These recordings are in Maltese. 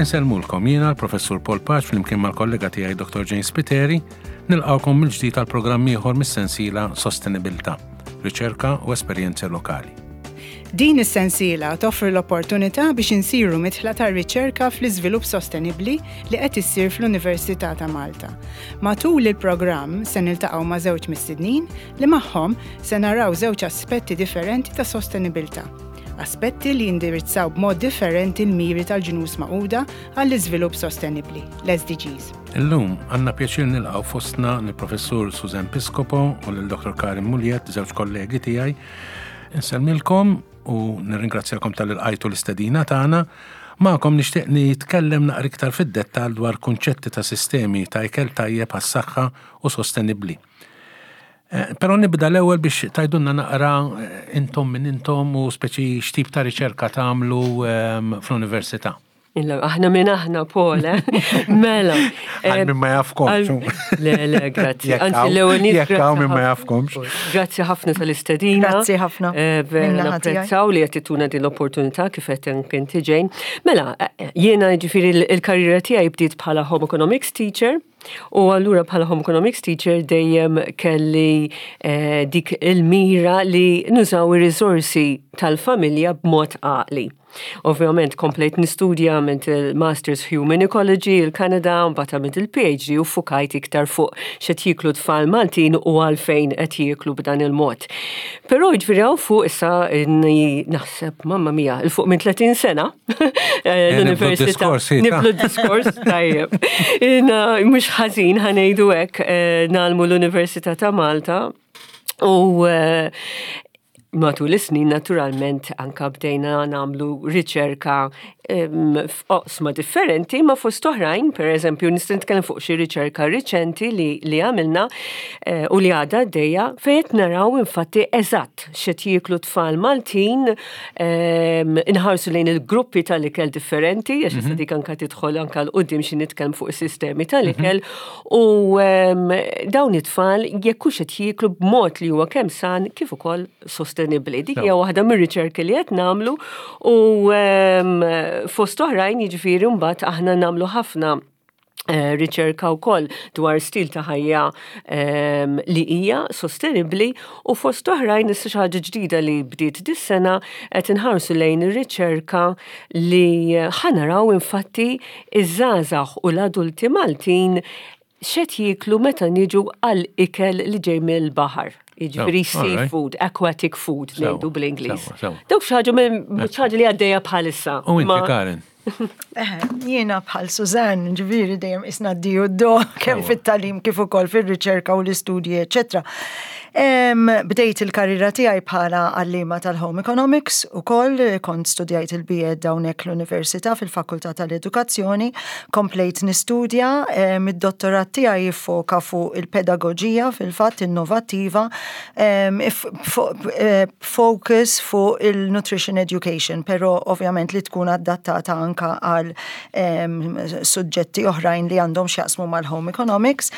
Insellmulkom jiena l-Professur Paul Pace flimkien mal-kollega tiegħi Dr. James Spiteri, nilqgħukom mill-ġdid għal programm ieħor mis-sensiela Sostenibilità, Riċerka u Esperjenzi Lokali. Din is-sensiela toffri l-opportunità biex insiru midħla tar-riċerka fl-iżvilupp sostenibbli li qed issir fl-Università ta' Malta. Matul il-programm se niltaqgħu ma' żewġ mistednin li magħhom se naraw żewġ aspetti differenti ta' sostenibilità. Aspetti li jindirizzaw b'mod differenti l-miri tal-Ġnus Magħquda għall-Iżvilupp Sostenibbli, l-SDGs. Illum għandna pjaċir nilqgħu fostna lill-Professur Suzanne Piscopo u lil Dr. Karin Muliet, żewġ kollegi tiegħi. Insellmilkom u nirringrazzjakom talli lqajtu l-istedina tagħna. Magħkom nixtieq nitkellem naqra iktar fid-dettall dwar kunċetti ta' sistemi ta' ikel tajjeb għas-saħħa u sostenibbli. Eh, però nibda l-ewwel biex tajdunna naqra eh, intom minn intom u speċi x'tip ta' riċerka tagħmlu ehm, fl-università. Illa, aħna minn aħna, Paul, eh? Mela. Għal minn ma jafkomx. Le, le, grazzi. Anzi, l-ewwel Jekk hawn minn ma jafkomx. Grazzi ħafna tal-istedina. Grazzi ħafna. Vera napprezzaw li qed tituna din l-opportunità kif qed inti ġejn. Mela, jiena ġifieri l-karriera tiegħi bdiet bħala home economics teacher. U allura bħala home economics teacher dejjem kelli eh, dik il-mira li nużaw ir-riżorsi tal-familja b'mod għaqli. Ovvjament komplejt nistudja għamilt il-Masters Human Ecology il-Kanada, mbagħad għamilt il-PhD u fukajt iktar fuq x'qed jieklu tfal Maltin u għalfejn qed jieklu b'dan il-mod. Però jiġifieri hawn fuq issa naħseb mamma mia, il fuq minn 30 sena eh, l-università. Niblu d-diskors, tajjeb. Mhux ħażin ħanejdu hekk eh, nagħlmu l-Università ta' Malta u eh, matul is-snin naturalment anka bdejna nagħmlu riċerka f'oqsma differenti ma fost oħrajn, per eżempju, nista' nitkellem fuq xi riċerka riċenti li, li għamilna eh, u li għadha għaddejja fejn qed naraw infatti eżatt x'qed jieklu tfal Maltin inħarsu lejn il-gruppi tal-ikel differenti, għax issa mhm. dik anka tidħol anka l-qudiem xi nitkellem fuq is-sistemi tal-ikel, mhm. U dawn it-tfal jekk hux qed jieklu b'mod li huwa kemm san kif ukoll sostenibbli. Dik hija waħda mir-riċerki li qed nagħmlu u fost oħrajn jiġifieri mbagħad aħna nagħmlu ħafna eh, riċerka wkoll dwar stil ta' ħajja li hija sostenibbli u fost oħrajn issa xi ħaġa ġdida li bdiet dis-sena qed inħarsu lejn ir-riċerka li ħanaraw infatti iż-żgħażagħ u l-adulti Maltin x'qed jieklu meta niġu għal ikel li ġej mill-baħar. Jiġifieri seafood, aquatic food ngħidu bl-Ingliż. Dawk xi ħaġa xi ħaġa li għaddejja bħalissa. U inti Karen? Jiena bħal Suzanne, ġifieri dejjem isna d-di u d-do, kemm fit-talim kif ukoll fir-riċerka u l-istudji, eċetera. Bdejt il-karriera tiegħi bħala għalliema tal-Home Economics ukoll kont studjajt il-BEd hawnhekk l-Università fil-Fakultà tal-Edukazzjoni, komplejt nistudja, id-dottorat tiegħi jiffoka fuq il-pedagoġija fil-fatt innovattiva, focus fuq il-nutrition education, però ovvjament li tkun adattata anka għal suġġetti oħrajn li għandhom x'jaqsmu mal-home economics.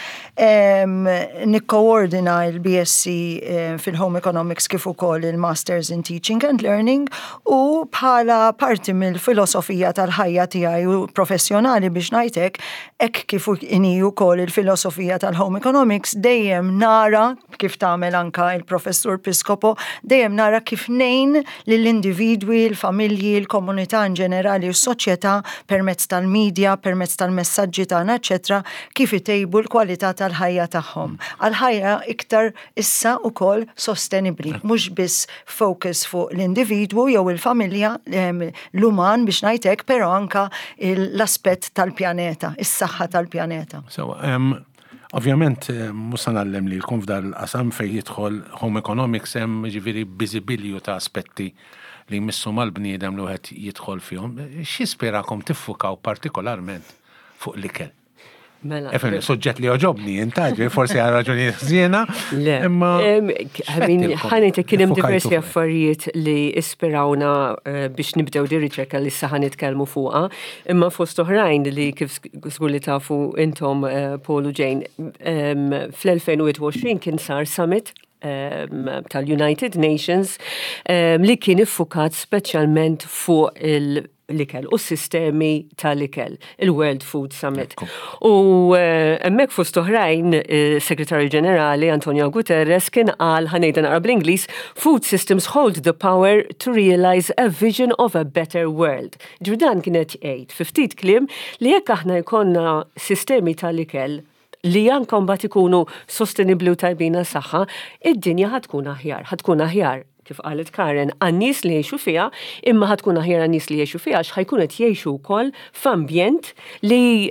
Nikkoordina il-BSc eh, fil-Home Economics kif ukoll il-Masters in Teaching and Learning u bħala parti mill-filosofija tal-ħajja tiegħi u professjonali biex ngħidlek, hekk kif inhi wkoll il-filosofija tal-Home Economics dejjem nara kif tagħmel anka il-Professur Piscopo, dejjem nara kif ngħin lill-individwi, l-familji, l-komunità in ġenerali u s-soċjetà permezz tal-media, permezz tal-messaġġi tagħna, eċetera, kif itejbu l-kwalità tal-ħajja tagħhom għal ħajja iktar issa wkoll sostenibbli, mhux biss focus fuq l-individwu jew il-familja, l-uman biex ngħid hekk, però anka l-aspett tal-pjaneta, is-saħħa tal-pjaneta. Sewa, ovvjament mhux se ngħallem lilkom f'dan il-qasam fejn jidħol home economics hemm jiġifieri biżibilju ta' aspetti li jmissu mal-bniedem li wieħed jidħol fihom. X'jispirakom tiffukaw partikolarment fuq l-ikel. Mela. Efem, suġġett li oġobni, intaġi, forsi għal raġuni ħżiena. Le. Imma. Ħanita kien hemm diversi affarijiet li ispirawna eh, biex nibdew di riċerka li issa ħanitkellmu fuqha, imma fost oħrajn li kif żgur li tafu intom eh, Paul u Jane, fl-2021 kien sar summit tal-United Nations li kien iffukat speċjalment fuq il- l-ikel u s-sistemi tal-ikel, il-World Food Summit. U eh, hemmhekk fost oħrajn, eh, Segretarju Ġenerali Antonio Guterres kien qal ħa ngħidha naqra bl-Ingliż, food systems hold the power to realize a vision of a better world. Ġifieri dan kien qed jgħid fi ftit kliem li jekk aħna jkollna sistemi tal-ikel li anke mbagħad ikunu sostenibbli u tajbin għas-saħħa, id-dinja ħa tkun aħjar, ħa tkun aħjar kif qalet Karen, għan-nies li jgħixu fiha, imma ħa tkun aħjar għan-nies li jgħixu fiha għax ħa jkunu qed jgħixu wkoll f'ambjent li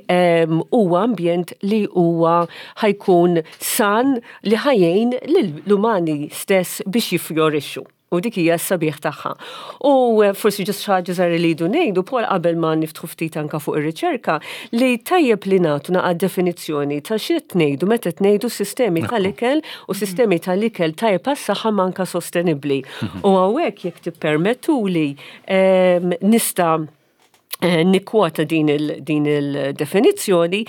huwa ambjent li huwa ħa jkun san li ħa jgħin lill-umani stess biex jiffjorixxu. U dik hija s-sabiħ tagħha. U eh, forsi ġust xi ħaġa żgħira li jdu ngħidu, Paul qabel ma niftħu ftit anka fuq ir-riċerka, li tajjeb li nagħtu naqa' definizzjoni ta' xi qed ngħidu meta qed ngħidu sistemi tal-ikel u sistemi tal-ikel tajjeb għas-saħħa manka sostenibbli. U hawnhekk jekk tippermettuli nista' nikkwota din il-definizzjoni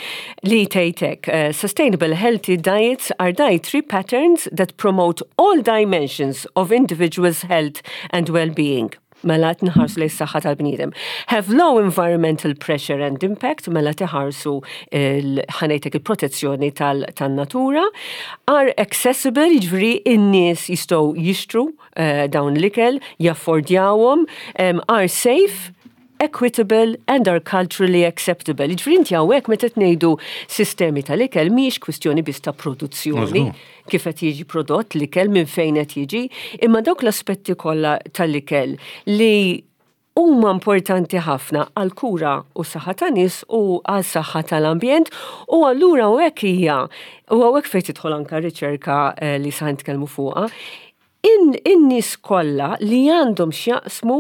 li tgħidlek sustainable healthy diets are dietary patterns that promote all dimensions of individuals' health and well-being. Mela qed nħarsu lejn saħħa tal-bniedem. Have low environmental pressure and impact, mela tħarsu ħa ngħidlek il-protezzjoni tan-natura. Are accessible, jiġifieri in-nies jistgħu jixtru dawn l-ikel, jaffordjawhom, are safe, equitable and are culturally acceptable. Jiġifieri inti hawnhekk meta ngħidu sistemi tal-ikel mhijiex kwistjoni biss ta' produzzjoni kif qed jiġi prodott l-ikel minn fejn qed jiġi, imma dawk l-aspetti kollha tal-ikel li huma importanti ħafna għal kura u saħħa ta' nies u għal saħħa tal-ambjent u allura hawnhekk hija u hawnhekk fejn tidħol anka riċerka li sa nitkellmu fuqha in-nies kollha li għandhom x'jaqsmu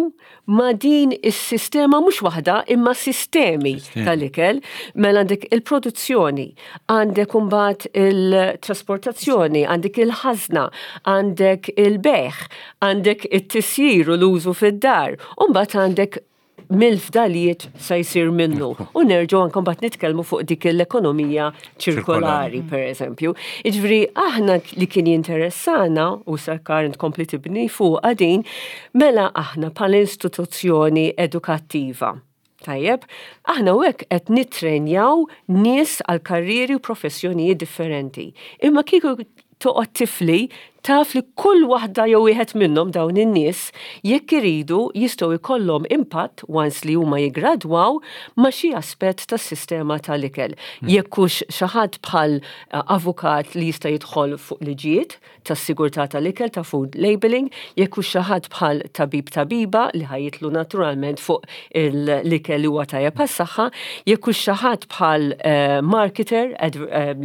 ma' din is-sistema mhux waħda imma sistemi tal-ikel, mela għandek il-produzzjoni, għandek imbagħad il-trasportazzjoni, għandek il-ħażna, għandek il-bejgħ, għandek it-tisjir u l-użu fid-dar, u mbagħad għandek mill-fdalijiet sa jsir minnu. U nerġgħu anke mbagħad nitkellmu fuq dik l-ekonomija ċirkolari, per eżempju. Jiġifieri aħna li kien jinteressana u sa Karen tkompli tibni fuq din, mela aħna bħala istituzzjoni edukattiva. Tajjeb, aħna u hekk qed nitrenjaw nies għal karrieri u professjonijiet differenti. Imma kieku toqgħod tifli taf li kull waħda jew wieħed minnhom dawn in-nies jekk iridu jistgħu jkollhom impatt once li huma jiggradwaw ma' xi aspett tas-sistema tal-ikel. Jekk hux xi ħadd bħal avukat li jista' jidħol fuq liġijiet tas-sigurtà tal-ikel ta' food labeling, jekk hux xi ħadd bħal tabib tabiba li ħa jidħlu naturalment fuq l-ikel li huwa tajjeb għas-saħħa, jekk hux xi ħadd bħal marketer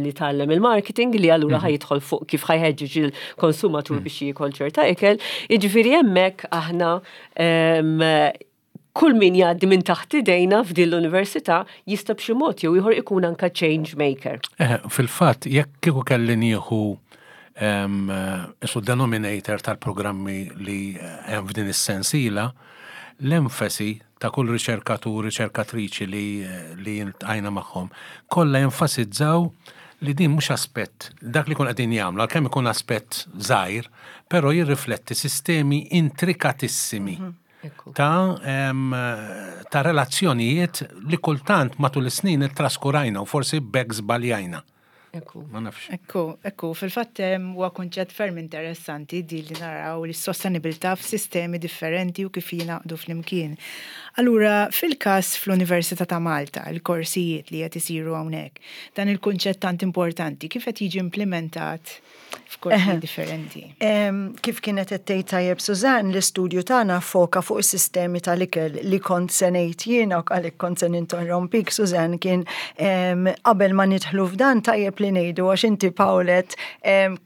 li tgħallem il-marketing li allura ħa jidħol fuq kif ħa jħeġġeġ il-konsumatur biex jiekol ċerta ikel, jiġifieri hemmhekk aħna kull min jgħaddi minn taħt idejna f'din l-università jista' b'xi mod jew ieħor ikun anka change maker. Fil-fatt, jekk kieku kelli nieħu isu denominator tal-programmi li hemm f'din is-sensiela, l-enfasi ta' kull riċerkatur, riċerkatriċi li ltqajna magħhom, kollha jenfasizzaw li din mhux aspett, dak li kun qegħdin jagħmlu, għalkemm ikun aspett żgħir, però jirrifletti sistemi intrikatissimi ta' relazzjonijiet li kultant matul is-snin ittraskurajna u forsi b'hekk żbaljajna. Ma nafx. Ekku, fil-fatt huwa kunċett ferm interessanti di li naraw li s-sostenibilità f'sistemi differenti u kif jingħaqdu flimkien. Allura, fil-każ fl-Università ta' Malta, il-korsijiet li qed isiru hawnhekk, dan il-kunċett tant importanti, kif qed jiġi implementat f'korsijiet differenti? Kif kienet qed tgħid tajjeb Suzanne, l-istudju tagħna foka fuq is-sistemi tal-ikel li kont se ngħid jiena u għalhekk kont se ninterrompik Suzanne kien qabel ma nidħlu f'dan tajjeb li ngħidu għax inti Paul għedt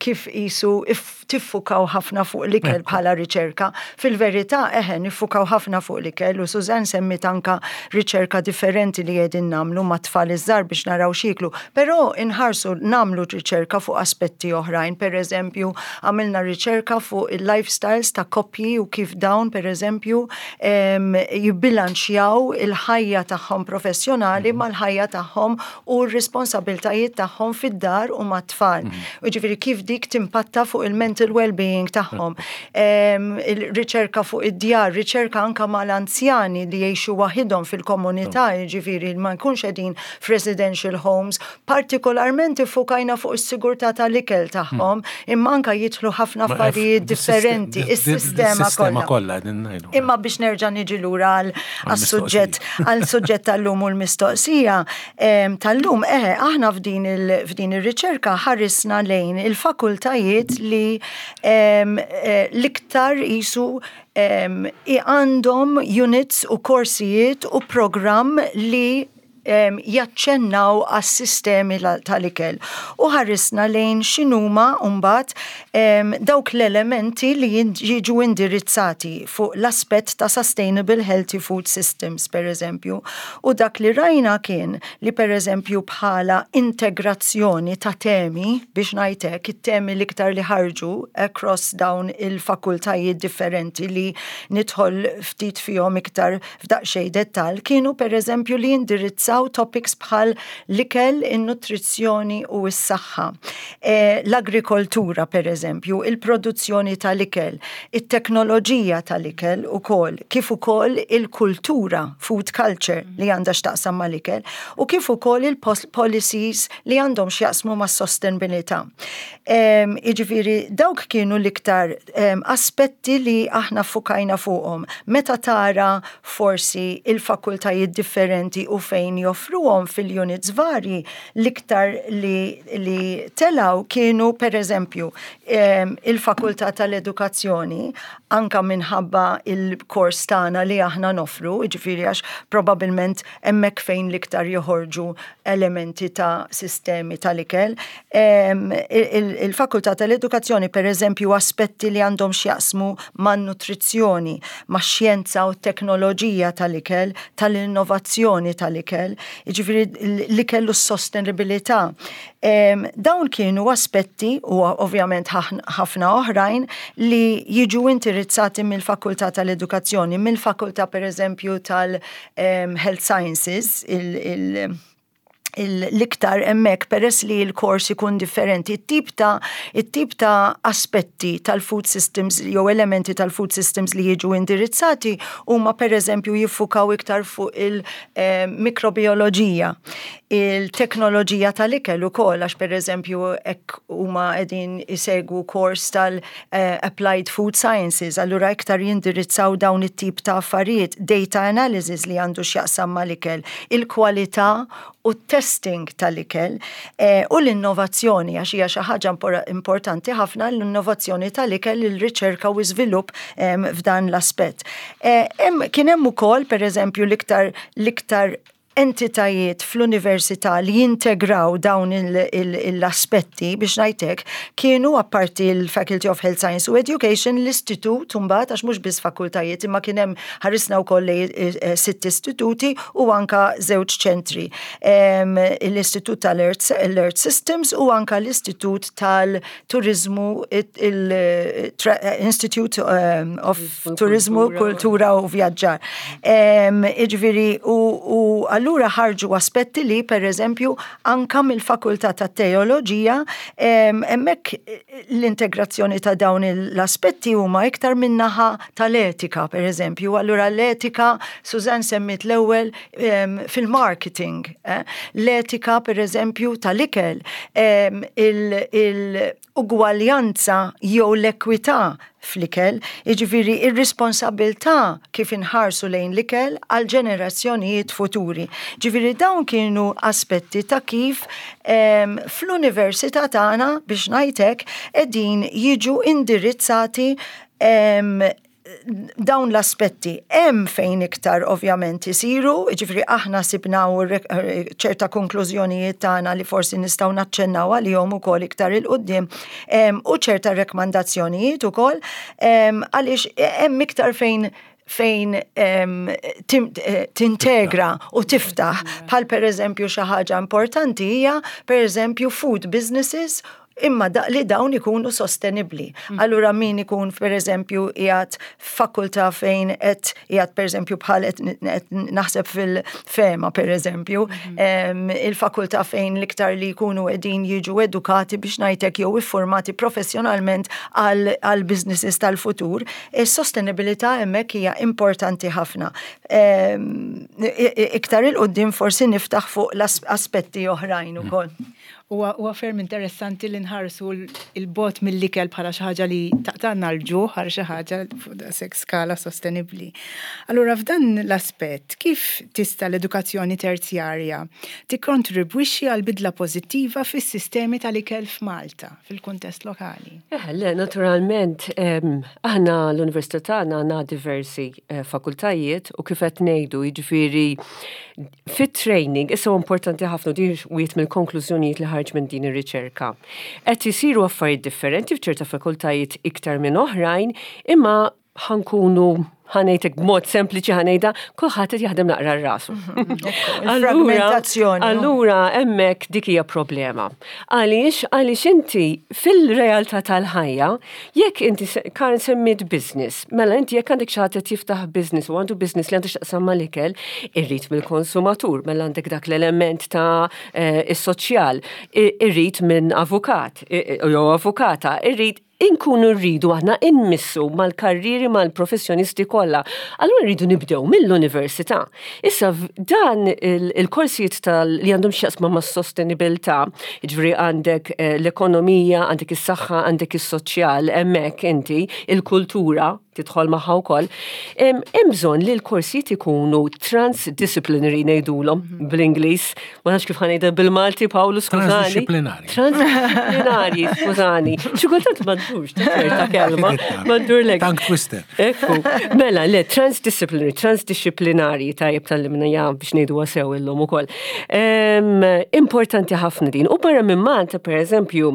kif qisu tiffukaw ħafna fuq l-ikel bħala riċerka. Fil-verità eħe niffukaw ħafna fuq l-ikel u Suzanne semmit anka riċerka differenti li qegħdin nagħmlu ma' tfal iż-żgħar biex naraw x'jieklu, però inħarsu nagħmlu riċerka fuq aspetti oħrajn, per eżempju, għamilna riċerka fuq il-lifestyles ta' koppji u kif dawn, per eżempju, jibbilanċjaw il-ħajja tagħhom professjonali mal-ħajja tagħhom u r-responsabiltajiet tagħhom fid-dar u mat-tfal. U ġifieri kif dik timpatta fuq il-mental. il-mental well-being tagħhom. Il-riċerka fuq id-djar, riċerka anka mal-anzjani li jgħixu waħidhom fil-komunità, jiġifieri ma jkunx qegħdin f'residential homes, partikolarment iffukajna fuq is-sigurtà tal-ikel tagħhom, imma anka jidħlu ħafna affarijiet differenti, is-sistema kollha. Imma biex nerġa' niġi lura għal-suġġett għal-suġġett tal-lum u l-mistoqsija tal-lum, eħe, aħna f'din ir-riċerka ħarisna lejn il-fakultajiet li l-iktar jisu għandhom units u korsijiet u programm li jaċċennaw għas-sistemi tal-ikel. U ħarisna lejn x'inhuma mbagħad dawk l-elementi li jiġu indirizzati fuq l-aspett ta' sustainable healthy food systems, per eżempju. U dak li rajna kien li per eżempju bħala integrazzjoni ta' temi, biex ngħidlek, it-temi l-iktar li ħarġu across dawn il-fakultajiet differenti li nidħol ftit fihom iktar f'daqsxejn dettal, kienu per eżempju li jindirizzaw topics bħal l-ikel, in-nutrizzjoni u s-saħħa. L-agrikoltura per eżempju, il-produzzjoni tal-ikel, it-teknoloġija tal-ikel ukoll, kif ukoll il-kultura, food culture li għandha x'taqsam mal-ikel, u kif ukoll il-policies li għandhom x'jaqsmu mas-sostenibilità. Jiġifieri dawk kienu l-iktar aspetti li aħna fukajna fuqhom. Meta tara forsi il-fakultajiet differenti u fejn joffruhom fil-units vari, l-iktar li telaw kienu per eżempju il-fakultà tal-edukazzjoni, anka minħabba il-kors tagħna li aħna nofru, jiġifieri għax probabilment hemmhekk fejn l-iktar joħorġu elementi ta' sistemi tal-ikel. Il-fakultà tal-edukazzjoni, per eżempju, aspetti li għandhom x'jaqsmu man-nutrizzjoni, ma' xjenza u teknoloġija tal-ikel, tal-innovazzjoni tal-ikel, jiġifieri l-ikel u s-sostenibilità. Dawn kienu aspetti, u ovvjament ħafna oħrajn, li jiġu indirizzati mill-fakultà tal-edukazzjoni, mill-fakultà per eżempju tal-Health Sciences, l-iktar hemmhekk peress li l-kors ikun differenti, it-tip ta' aspetti tal-food systems jew elementi tal-food systems li jiġu indirizzati huma per eżempju jiffukaw iktar fuq il-mikrobioloġija, il-teknoloġija tal-ikel ukoll, għax per eżempju hekk huma qegħdin isegwu kors tal-Applied Food Sciences, allura iktar jindirizzaw dawn it-tip ta' affarijiet, data analysis li għandu x'jaqsam mal-ikel, il-kwalità u testing tal-ikel u l-innovazzjoni, għax hija xi ħaġa importanti ħafna l-innovazzjoni tal-ikel, il-riċerka u żvilupp f'dan l-aspett. Kien hemm ukoll pereżempju l-iktar entitajiet fl-università li jintegraw dawn l-aspetti, biex ngħidlek, kienu apparti l-Faculty of Health Science u Education, l-istitut mbagħad, għax mhux biss fakultajiet imma kien hemm, ħarisna wkoll sitt istituti u anka żewġ ċentri. L-Istitut tal-Earth Systems u anka l-Istitut tal-Turizmu, il-Institute of Turizmu, Kultura u Vjaġġar. Jiġifieri, u allura ħarġu aspetti li per eżempju anka mill-Fakultà ta' Teoloġija, hemmhekk l-integrazzjoni ta' dawn l-aspetti huma iktar min-naħa tal-etika, per eżempju. Allura l-etika, Susan semmit l-ewwel fil-marketing, l-etika per eżempju tal-ikel, il-ugwaljanza jew l-ekwità fl-ikel, jiġifieri ir-responsabilità kif inħarsu lejn l-ikel għal ġenerazzjonijiet futuri. Jiġifieri dawn kienu aspetti ta' kif fl-università tagħna, biex ngħidlek, qegħdin jiġu indirizzati dawn l-aspetti. Hemm fejn iktar ovvjament isiru, jiġifieri aħna sibna ċerta konklużjonijiet tagħna li forsi nistgħu naċċennaw għalihom ukoll iktar 'il quddiem u ċerta rekomandazzjonijiet ukoll, għaliex hemm iktar fejn tintegra u tiftaħ, bħal per eżempju xi ħaġa importanti hija per eżempju food businesses. Imma da, li dawn ikunu sostenibbli. Allura min ikun pereżempju qiegħed f'fakultà fejn qed qiegħed pereżempju bħal qed naħseb fil-FEMA pereżempju, il-fakultà fejn l-iktar li jkunu qegħdin jiġu edukati biex ngħidlek jew iffurmati professjonalment għal businesses tal-futur, is-sostenibilità hemmhekk hija importanti ħafna. Iktar 'il quddiem forsi niftaħ fuq l-aspetti oħrajn ukoll. Huwa ferm interessanti li nħarsu 'l bogħod mill-ikel bħala xi ħaġa li taqtagħna l-ġuħ għal xi ħaġa fuq daqshekk skala sostenibbli. Allura f'dan l-aspett, kif tista' l-edukazzjoni terzjarja tikkontribwixxi għal bidla pożittiva fis-sistemi tal-ikel f'Malta, fil-kuntest lokali? Eh, le, naturalment, aħna l-Università tagħna għandna diversi eh, fakultajiet u kif qed ngħidu, jiġifieri Fit-training, issa huwa importanti ħafna din wieħed mill-konklużjonijiet li ħarġ minn din ir-riċerka. Qed isiru affarijiet differenti f'ċerta fakultajiet iktar minn oħrajn, imma ħa nkunu ħa ngħidlek b'mod sempliċi ħa ngħidha, kulħadd qed jaħdem naqra rasu. Fragmentazzjoni. Allura hemmhekk dik hija problema. Għaliex għaliex inti fil-realtà tal-ħajja, jekk inti Karen semmiet business, mela inti jekk għandek xi ħadd qed jiftaħ business u għandu business li għandu x'taqsam mal-ikel, irrid mill-konsumatur, mela għandek dak l-element ta' eh, is-soċjal, irrid minn avukat jew avukata, irrid inkunu rridu aħna inmissu mal-karrieri mal-professjonisti kollha. Allura rridu nibdew mill-università. Issa dan il-korsijiet tal li għandhom x'jaqsma mas-sostenibilità, jiġifieri għandek eh, l-ekonomija, għandek is-saħħa, għandek is-soċjal, hemmhekk inti, il-kultura tidħol magħha wkoll. Hemm bżonn li l-korsijiet ikunu transdisciplinary ngħidulhom mhm. bl-Ingliż, ma nafx kif ħa ngħidha bil-Malti Pawlu skużani. Transdisciplinari. Transdisciplinari, skużani. Xi kultant ma ddurx ċerta kelma, ma ddurlek. Tongue twister. Ekku, mela, le, transdisciplinary, transdisciplinari, tajjeb tal-limna ja biex ngħidu sew illum ukoll. Importanti ħafna din. U barra minn Malta, per eżempju,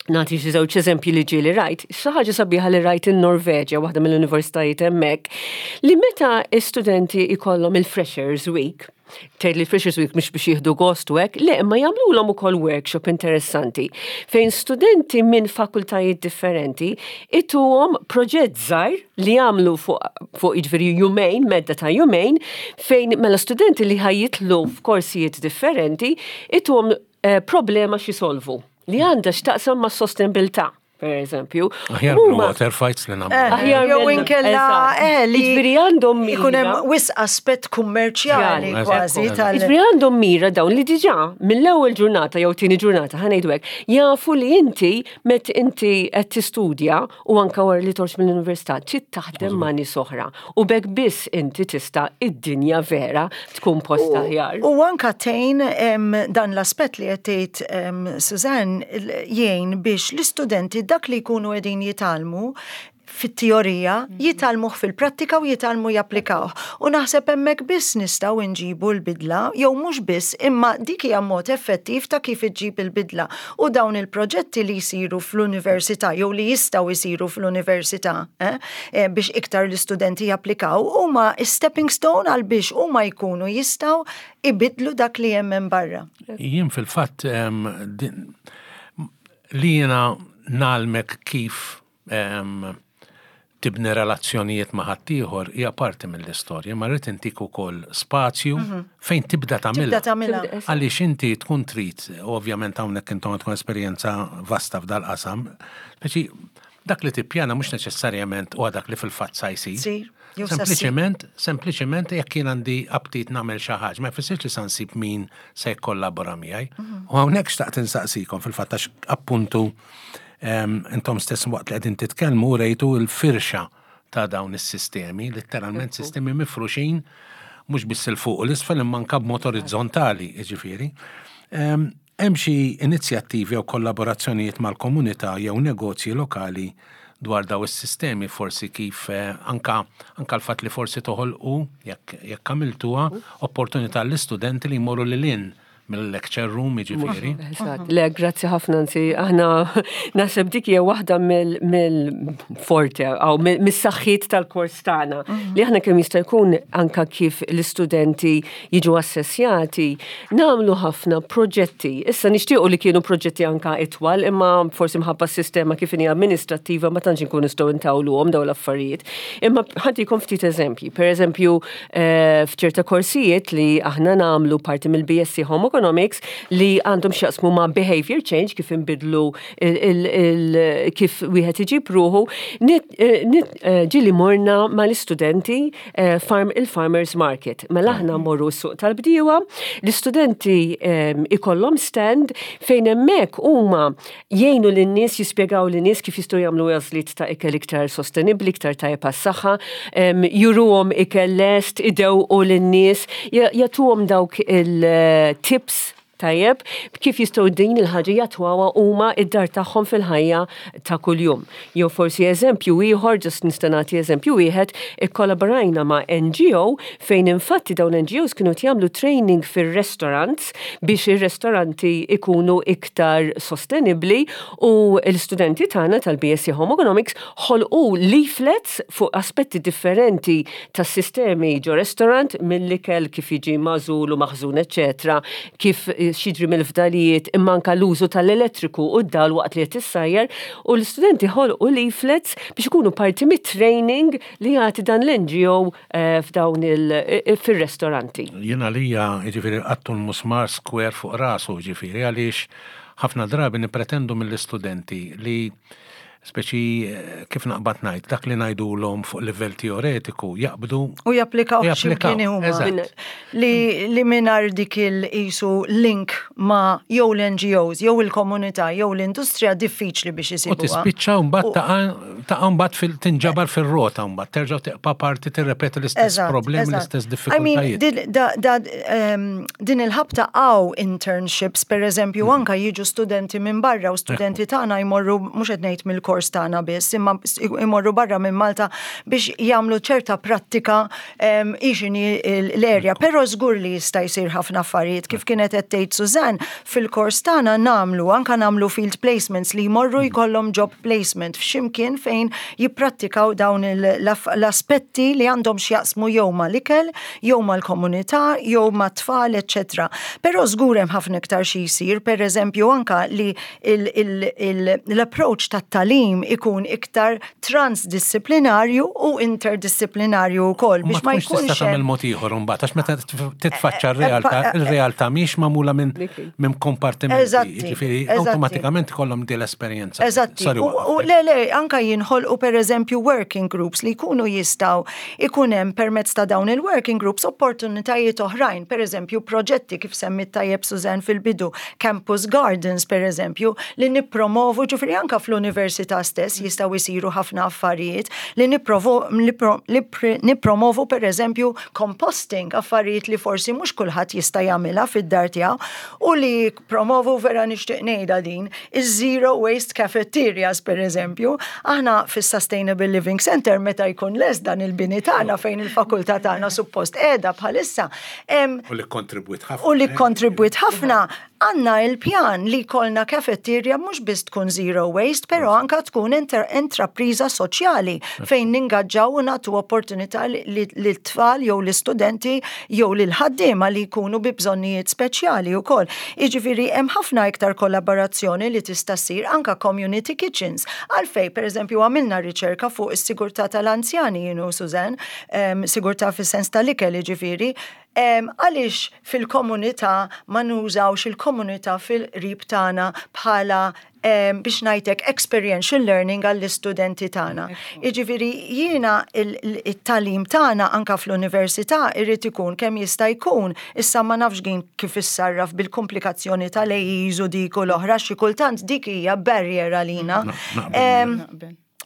nagħti xi żewġ eżempji li ġieli rajt, xi ħaġa sabiħa li rajt in-Norveġja, waħda mill-universitajiet hemmhekk, li meta studenti ikollhom il-Freshers Week, tgħid li Freshers Week mhux biex jieħdu gost u hekk, le imma jagħmlulhom ukoll workshop interessanti fejn studenti minn fakultajiet differenti ituhom proġett żgħir li jagħmlu fuq fuq jiġifieri jumejn, medda ta' jumejn, fejn mela studenti li ħa jidħlu f'korsijiet differenti ituhom eh, problema x'isolvu li għandha x'taqsam ma' sostenibilità per eżempju. Aħjar mill water fights li nagħmlu. Eh, Aħjar jew inkella eh, li Jiġifieri għandhom mira. Ikun hemm wisq aspett kummerċjali kważi tal. Jiġifieri għandhom mira dawn li diġà mill-ewwel ġurnata jew tieni ġurnata ħa ngħidu hekk, jafu li inti met inti qed tistudja u anke wara li torġ mill-università trid taħdem ma' nies oħra u b'hekk biss inti tista' id-dinja vera tkun post aħjar. U anka tgħin dan l-aspett li qed tgħid Suzanne jgħin biex l-istudenti dak li jkunu qegħdin jitgħallmu fit-teorija jitgħallmuh fil-prattika u jitgħallmu japplikawh. U naħseb hemmhekk biss nistgħu nġibu l-bidla, jew mhux biss, imma dik hija mod effettiv ta' kif iġġib il-bidla. U dawn il-proġetti li jsiru fl-università jew li jistgħu jsiru fl-università eh, eh, biex iktar l-istudenti japplikaw huma stepping stone għal biex huma jkunu jistgħu ibidlu dak li hemm hemm barra. Jien fil-fatt li jiena ngħallmek kif tibni relazzjonijiet ma' ħaddieħor hija parti mill-istorja, ma rrid intik ukoll spazju mhm. fejn tibda tagħmilha. Għaliex inti tkun trid, ovvjament hawnhekk intom tkun esperjenza vasta f'dal-qasam, speċi dak li tippjana mhux neċessarjament huwa dak li fil-fatt sa jsir. Sempliċement, sempliċement jekk jien għandi aptit nagħmel xi ħaġa, ma jfissirx li sa nsib min se jikkollabora miegħi. Mhm. U hawnhekk xtaqt insaqsikom fil-fatt għax appuntu Intom stess waqt li qegħdin titkellmu rejtu l-firxa ta' dawn is-sistemi, letteralment sistemi mifruxin mhux biss il fuq u l-isfel imma anke b'mod orizzontali, jiġifieri. Hemm xi inizjattivi jew kollaborazzjonijiet mal-komunità jew negozji lokali dwar daw is-sistemi forsi kif eh, anka anka l-fatt li forsi toħolqu jekk jekk għamiltuha opportunità l-istudenti li jmorru lil hinn. mill-lecture room jiġifieri. Eżatt, le, grazzi ħafna anzi, aħna naħseb dik hija waħda mill-forte aw mis-saħħiet tal-kors tagħna mhm. li aħna kemm jista' jkun anka kif l-istudenti jiġu assessjati, nagħmlu ħafna proġetti. Issa nixtiequ li kienu proġetti anka itwal, imma forsi mħabba s-sistema kif inhi amministrattiva ma tantx inkunu nistgħu ntawluhom dawn l-affarijiet. Imma ħantikom ftit eżempji. Per eżempju, eh, f'ċerta korsijiet li aħna nagħmlu parti mill-BSc Home Economics li għandhom x'jaqsmu ma' behavior change kif inbidlu kif wieħed iġib ruħu, eh, eh, ġili morna mal-istudenti farm il-farmers market. Mela aħna mmorru s-suq tal-bdiewa, l-istudenti ikollhom stand fejn hemmhekk huma jgħinu lin-nies jispjegaw lin-nies kif jistgħu jagħmlu għażliet ta' ikel iktar sostenibbli, iktar tajjeb għas-saħħa, juruhom ikel lest, idewqu lin-nies, jagħtuhom dawk il-tips tajjeb kif jistgħu din il-ħaġa jattwawha huma id-dar tagħhom fil-ħajja ta' kuljum. Jew forsi eżempju ieħor, ġust nista' nagħti eżempju wieħed, ikkollaborajna ma' NGO fejn infatti dawn l-NGOs kienu qed jagħmlu training fir-restaurants biex ir-restoranti ikunu iktar sostenibbli u l-istudenti tagħna tal-BSc Home Economics ħolqu leaflets fuq aspetti differenti tas-sistemi ġo restaurant mill-ikel kif jiġi magħżul u maħżun eċċetera, kif x'jiġri mill-fdalijiet imma anke l-użu tal-elettriku u d-dawl waqt li qed issajjar u l-istudenti ħolqu leaflets biex ikunu parti mit-training li jagħti dan l-NGO eh, f'dawn il eh, fir-restoranti. Jien għalija, jiġifieri qattu l-musmar square fuq rasu, jiġifieri għaliex ħafna drabi nippretendu mill-istudenti li speċi eh, kif naqbad ngħid, dak li ngħidulhom fuq livell teoretiku jaqbdu u japplikaw x'imkien huma. Li, li mingħajr dik il-qisu link ma' jew l-NGOs, jew il-komunità, jew l-industrija diffiċli biex isibuha. U tispiċċa mbagħad taqa' taqa' mbagħad fil tinġabar fir-rota mbagħad terġa' tibqa' parti tirrepeti l-istess problemi, l-istess diffikultajiet. Din il-ħabta għaw internships, per eżempju, mm. anka jiġu studenti minn barra u studenti tagħna jmorru mhux qed ngħid mill-kors tagħna biss, imma jmorru barra minn Malta biex jagħmlu ċerta prattika ehm, ixini l-erja, però żgur li jista' jsir ħafna affarijiet kif kienet qed tgħid Suzanne, fil-kors tagħna nagħmlu anka nagħmlu field placements li jmorru mm. jkollhom job placement f'ximkien fejn jipprattikaw dawn l-aspetti li għandhom x'jaqsmu jew mal-ikel, jew mal-komunità, jew mat-tfal, eċċetera. Però żgur hemm ħafna iktar xi jsir, pereżempju anka li l-approach tat-tagħlim ikun iktar transdissiplinarju u interdissiplinarju wkoll biex ma jkunx tista' tagħmel mod ieħor imbagħad għax meta titfaċċa r-realtà, ir-realtà mhix magħmula minn minn kompartimenti. Jiġifieri awtomatikament ikollhom din l-esperjenza. Eżatti. U le le anka jinħolqu pereżempju working groups li jkunu jistgħu ikun hemm permezz ta' dawn il-working groups opportunitajiet oħrajn, pereżempju proġetti kif semmit tajjeb Suzanne fil-bidu, campus gardens pereżempju, li nippromovu, ġifieri anke fl-università stess jistgħu jsiru ħafna affarijiet li nippromovu pereżempju composting, affarijiet li forsi mhux kulħadd jista' jagħmilha fid-dar tiegħu u li promovu vera nixtieq ngħidha din, iż-zero waste cafeterias pereżempju. Aħna fis-Sustainable Living Center meta jkun lest dan il-bini tagħna fejn il-fakultà tagħna suppost qiegħda bħalissa. U li kontribwit ħafna. U li kontribwit ħafna għandna il-pjan li jkollna cafeteria mhux biss tkun zero waste, però anka tkun intrapriża soċjali fejn ningaġġaw u nagħtu opportunità lit-tfal jew l-istudenti jew lill-ħaddiema li jkunu bi bżonnijiet speċjali wkoll. Jiġifieri hemm ħafna iktar kollaborazzjoni li tista' ssir anke community kitchens. Għalfejn, pereżempju, għamilna riċerka fuq is-sigurtà tal-anzjani jien u Suzanne, sigurtà fis-sens tal-ikel jiġifieri, għaliex fil-komunità ma nużawx il-komunità fil-qrib tagħna bħala biex ngħidlek experiential learning għall-istudenti tagħna. Jiġifieri jiena it-tagħlim tagħna anka fl-università irid ikun kemm jista' jkun, issa ma nafx din kif issarraf bil-komplikazzjoni tal-AEs u dik u l-oħra xi kultant dik hija barrier għalina.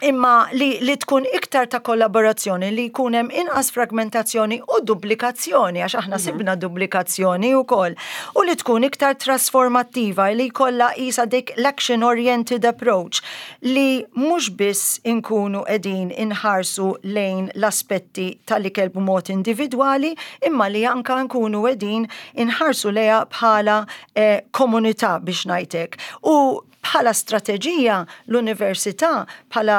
Imma li, li tkun iktar ta' kollaborazzjoni, li jkun hemm inqas fragmentazzjoni u duplikazzjoni, għax aħna sibna duplikazzjoni wkoll, u li tkun iktar trasformattiva, li jkollha qisha dik l-action oriented approach, li mhux biss inkunu qegħdin inħarsu lejn l-aspetti tal-ikel b'mod individwali, imma li anka nkunu qegħdin inħarsu lejha bħala eh, komunità biex ngħidlek. U Bħala strateġija, l-Università, bħala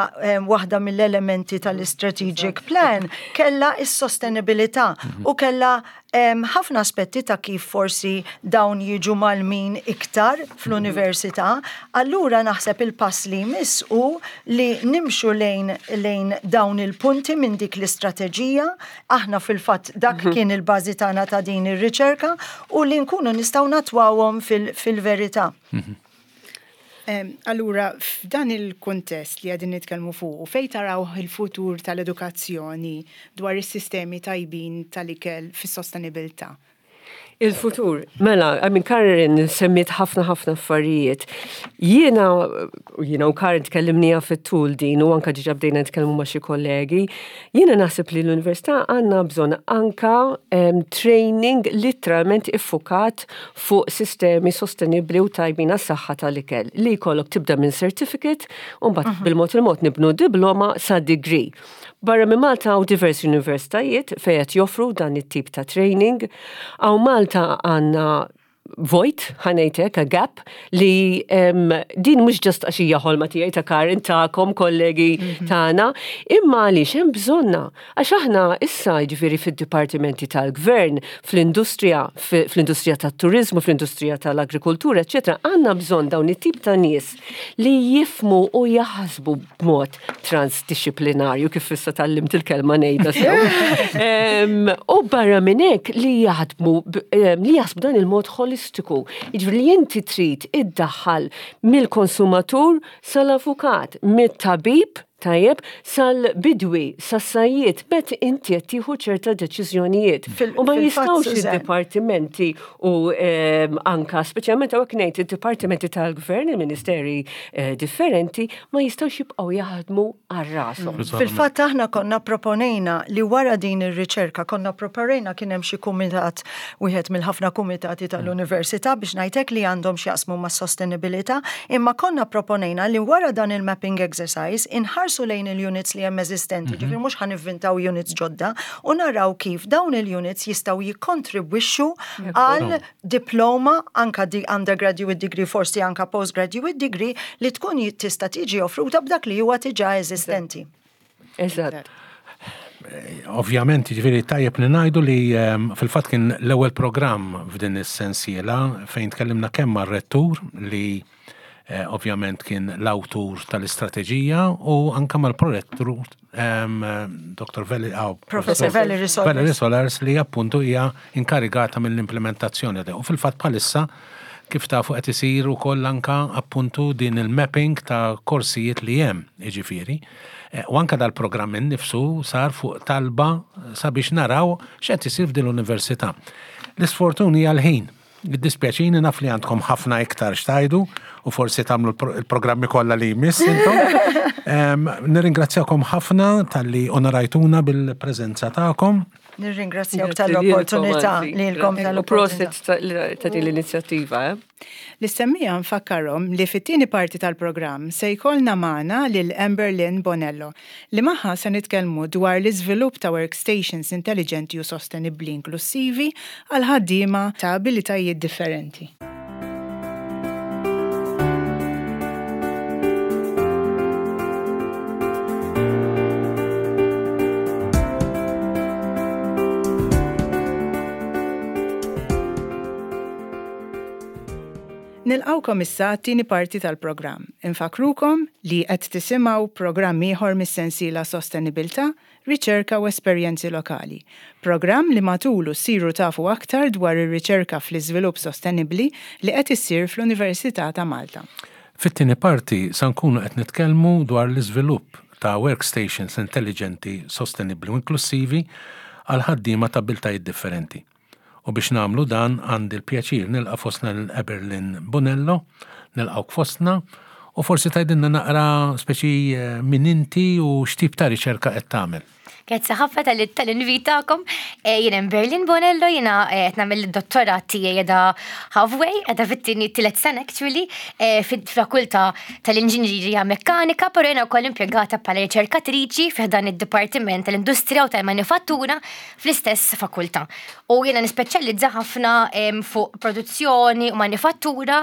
waħda mill-elementi tal-Strategic Plan, kellha s-sostenibilità u kellha ħafna aspetti ta' kif forsi dawn jiġu mgħallmin iktar fl-università. Allura naħseb il-pass li jmiss hu li nimxu lejn lejn dawn il-punti minn dik l-istrateġija. Aħna fil-fatt dak kien il-bażi tagħna ta' din ir-riċerka u li nkunu nistgħu natwawhom fil-verità. Allura, f'dan il-kuntest li qegħdin nitkellmu fuqu, fejn taraw il-futur tal-edukazzjoni dwar is-sistemi tajbin tal-ikel fis-sostenibilità? Il-futur, mela, I mean, Karen semmiet ħafna ħafna affarijiet. Jiena, jiena u Karen tkellimnija fit-tul din u anka diġà bdejna nitkellmu ma' xi kollegi, jiena naħseb li l-università għandna bżonn anka training literalment iffukat fuq sistemi sostenibbli u tajbin għas-saħħa tal-ikel li jkollok tibda minn certificate u mbagħad mhm. bil-mod il-mod nibnu diploma sa degree. Barra minn Malta hawn diversi universitajiet fejn qed joffru dan it-tip ta' training. Hawn Malta għandna vojt, ħa ngħidlek, a gap, li um, din mhux ġast għax hija ħolma tiegħi ta' Karin tagħkom kollegi mhm. tagħna, imma għaliex hemm bżonna. Għax aħna issa, jiġifieri fid-dipartimenti tal-gvern, fl-industrija, fl-industrija tat-turiżmu, fl-industrija tal-agrikoltura, eċċetera, għandna bżonn dawn it-tip ta' nies li jifhmu u jaħsbu b'mod transdixxiplinarju, kif issa tgħallimt il-kelma ngħidha sew. U barra minn hekk li jaħdmu li jaħsbu dan il-mod ħolistiku. Jiġifieri li inti trid iddaħħal mill-konsumatur sal-avukat, mit-tabib Tajjeb, sal-bidwi, sas-sajjied, bet inti qed tieħu ċerta deċiżjonijiet. U ma jistgħux id-dipartimenti u ehm, anka speċjalment hawnhekk ngħid id-dipartimenti tal-gvern, il-ministeri eh, differenti, ma jistgħux jibqgħu jaħdmu għal rashom. Fil-fatt aħna konna proponejna li wara din ir-riċerka konna proponejna kien hemm xi kumitat wieħed mill-ħafna kumitati tal-università biex ngħidlek li għandhom x'jaqsmu mas-sostenibilità, imma konna proponejna li wara dan il-mapping exercise inħarsu lejn il-units li hemm eżistenti, ġifieri mhux ħa nivvintaw units ġodda, u naraw kif dawn il-units jistgħu jikkontribwixxu għal diploma, anka di undergraduate degree, forsi anka postgraduate degree, li tkun tista' tiġi offruta b'dak li huwa diġà eżistenti. Eżatt. Ovvjament, ġifieri tajjeb li ngħidu li ehm, fil-fatt kien l-ewwel programm f'din is-sensiela fejn tkellimna kemm mar-rettur li eh, ovvjament kien l-awtur tal-istrateġija u anka mal-prorettur ehm, Dr. Veli, oh, Professor Valerie Solars. Valerie Solars li appuntu hija inkarigata mill-implementazzjoni. U fil-fatt bħalissa kif tafu qed isir ukoll anka appuntu din il-mapping ta' korsijiet li hemm, jiġifieri. Eh, u anka dal-programm innifsu sar fuq talba sabiex naraw x'qed isir f'din l-università. L-isfortun hija l-ħin. Jiddispjaċini naf li għandkom ħafna iktar x'tgħidu u forsi tagħmlu l-programmi kollha li jmiss intom. Nirringrazzjakom ħafna talli onorajtuna bil-preżenza tagħkom. Nirringrazzjawk tal-opportunità lilkom tal-opportunità. Prosit ta' din l-inizjattiva. Eh? Lis-semmiegħa nfakkarhom li fit-tieni parti tal-programm se jkollna magħna lil Amber Lynn Bonello li magħha se nitkellmu dwar l-iżvilupp ta' workstations intelliġenti u sostenibbli inklussivi għal ħaddiema ta' abilitajiet differenti. Nilqgħukom issa għat-tieni parti tal-programm. Infakkrukom li qed tisimgħu programm ieħor mis-sensiela Sostenibilità, Riċerka u Esperjenzi Lokali. Programm li matulu ssiru tafu aktar dwar ir-riċerka fl-iżvilupp sostenibbli li qed issir fl-Università ta' Malta. Fit-tieni parti sa nkunu qed nitkellmu dwar l-iżvilupp ta' workstations intelliġenti, sostenibbli u inklussivi għal ħaddiema ta' abbiltajiet differenti. U biex nagħmlu dan għandi l-pjaċir nilqa' fostna lil Eberlin Bonello, nilqgħuk fostna. U forsi tgħidilna naqra speċi min inti u x'tip ta' riċerka qed tagħmel. Grazzi ħafna tal-invit tagħkom. Eh, jien hemm Berlin Bonello, jiena eh, qed nagħmel id-dottorat tiegħi qiegħda halfway, qiegħda fit-tieni tielet sena actually, eh, fil-fakultà tal-Inġinerija Mekkanika, però jiena wkoll impjegata bħala riċerkatriċi fi dan id-Dipartiment tal-Industrija u tal-Manifattura fl-istess fakultà. U jiena nispeċjalizza ħafna fuq produzzjoni u manifattura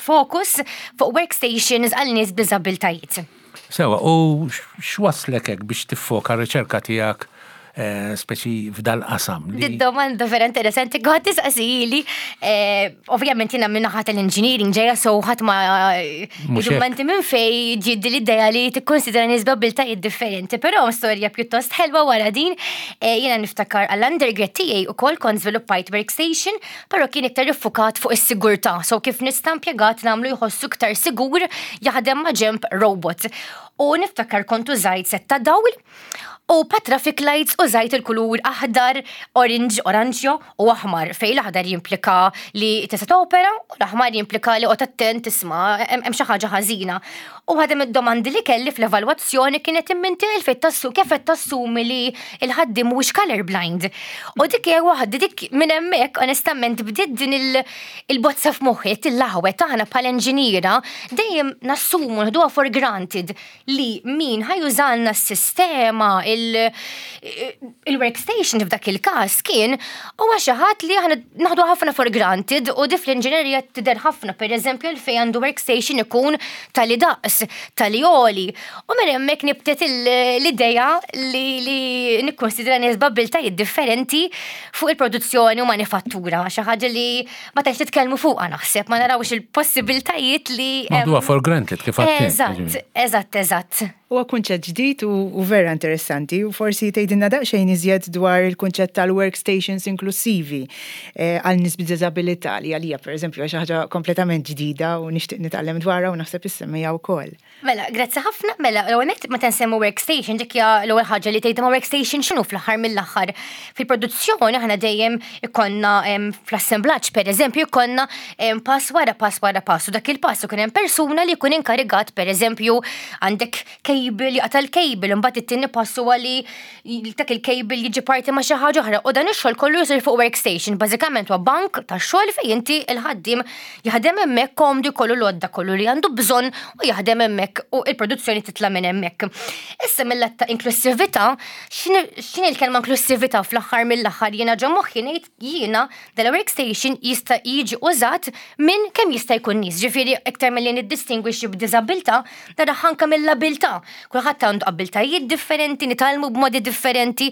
fokus fuq workstations għal nies b'diżabbiltajiet. Sewa, u x'waslek hekk biex tiffoka r-riċerka tiegħek eh, speċi f'dal-qasam? Di domanda vera interessanti, għad tisqasili, eh, ovvjament jiena minn naħa tal-engineering ġeja so ħadd ma dokumenti minn fej ġiddi l-idea li tikkonsidra nies b'abiltajiet differenti, però storja pjuttost ħelwa wara din, eh, jiena niftakar għall-undergrad tiegħi ukoll kont żviluppajt workstation però kien iktar iffukat fuq is-sigurtà, so kif nista' impjegat nagħmlu jħossu iktar sigur jaħdem ma' ġenb robot. U niftakar kont użajt set ta' dawl u pa' traffic lights użajt il-kulur aħdar, orange, oranġjo u aħmar, fejn l-aħdar jimplika li tista' topera u l-aħmar jimplika li qgħod attent isma' hemm xi ħaġa ħażina. U waħda mid-domandi li kelli fl-evalwazzjoni kienet imma inti għalfejn tassu kif qed tassumi li l-ħaddiem mhuwiex color blind. U dik hija waħda dik minn hemmhekk onestament bdiet din il-bozza f'moħħi tillaħwet aħna bħala inġiniera dejjem nassumu nħduha for granted li min ħa jużalna s-sistema il-workstation f'dak il-każ kien huwa xi ħadd li aħna naħdu ħafna for granted u di fl-inġinerija tidher ħafna, pereżempju għalfejn għandu workstation ikun tali daqs, tali għoli. U minn hemmhekk nibtet l-idea li, li nikkonsidra nies b'abbiltajiet differenti fuq il-produzzjoni u manifattura, xi ħaġa li ma tantx nitkellmu fuqha naħseb, ma narawx il-possibiltajiet li. Naħduha for granted kif għedt. Eżatt, eżatt, eżatt. Huwa kunċett ġdid u vera interessanti u forsi tgħidilna daqsxejn iżjed dwar il-kunċett tal-workstations inklussivi għal nies b'diżabilità li għalija pereżempju hija xi ħaġa kompletament ġdida u nixtieq nitgħallem dwarha u naħseb is-semmiegħa wkoll. Mela, grazzi ħafna. Mela, l-ewwel nett meta nsemmu workstation dik hija l-ewwel ħaġa li tgħid imma workstation x'inhu fl-aħħar mill-aħħar. Fil-produzzjoni aħna dejjem ikollna fl-assemblaġġ pereżempju jkollna pass wara pass wara pass u dak il-pass ikun hemm persuna li jkun inkarigat pereżempju għandek cable jaqta' l-cable imbagħad it-tieni pass huwa li dak il-cable jiġi parti ma' xi ħaġa oħra u dan ix-xogħol kollu jsir fuq workstation. Bażikament huwa bank tax-xogħol fejn inti l-ħaddiem jaħdem hemmhekk komdu jkollu l-għodda kollu li għandu bżonn u jaħdem hemmhekk u l-produzzjoni titla' minn hemmhekk. Issa mill-att ta' inklussività, x'inhi l-kelma inklussività fl-aħħar mill-aħħar jiena ġo moħħi ngħid jiena dal-workstation jista' jiġi użat minn kemm jista' jkun nies, ġifieri iktar milli niddistingwixxi b'diżabilità, naraha anke mill-abilità. Kulħadd għandu abbiltajiet differenti, nitgħallmu b'modi differenti.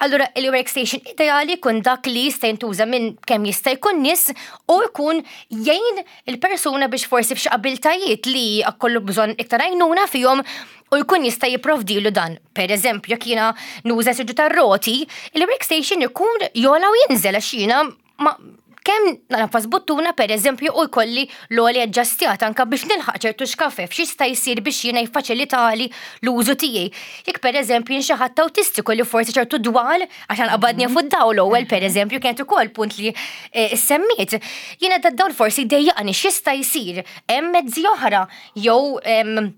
Allura il-workstation ideali jkun dak li jista' jintuża minn kemm jista' jkun nies u jkun jgħin il-persuna biex forsi f'xi abiltajiet li kollu bżonn iktar għajnuna fihom u jkun jista' jipprovdilu dan. Per eżempju, jekk jiena nuża siġġu tar-roti, il-workstation ikun jola u jinżel għax jiena ma kemm nagħfas buttuna per eżempju u jkolli l-għoli aġġastjat anka biex nilħaq ċertu xkafef x'jista' jsir biex jiena jiffaċilitali l-użu tiegħi. Jekk per eżempju jien xi ħadd awtistiku li forsi ċertu dwal għax qabadni fuq dawl ewwel per eżempju kienet ukoll punt li eh, semmiet. Jiena dad-dawl forsi jdejjaqni x'jista' jsir hemm mezzi oħra jew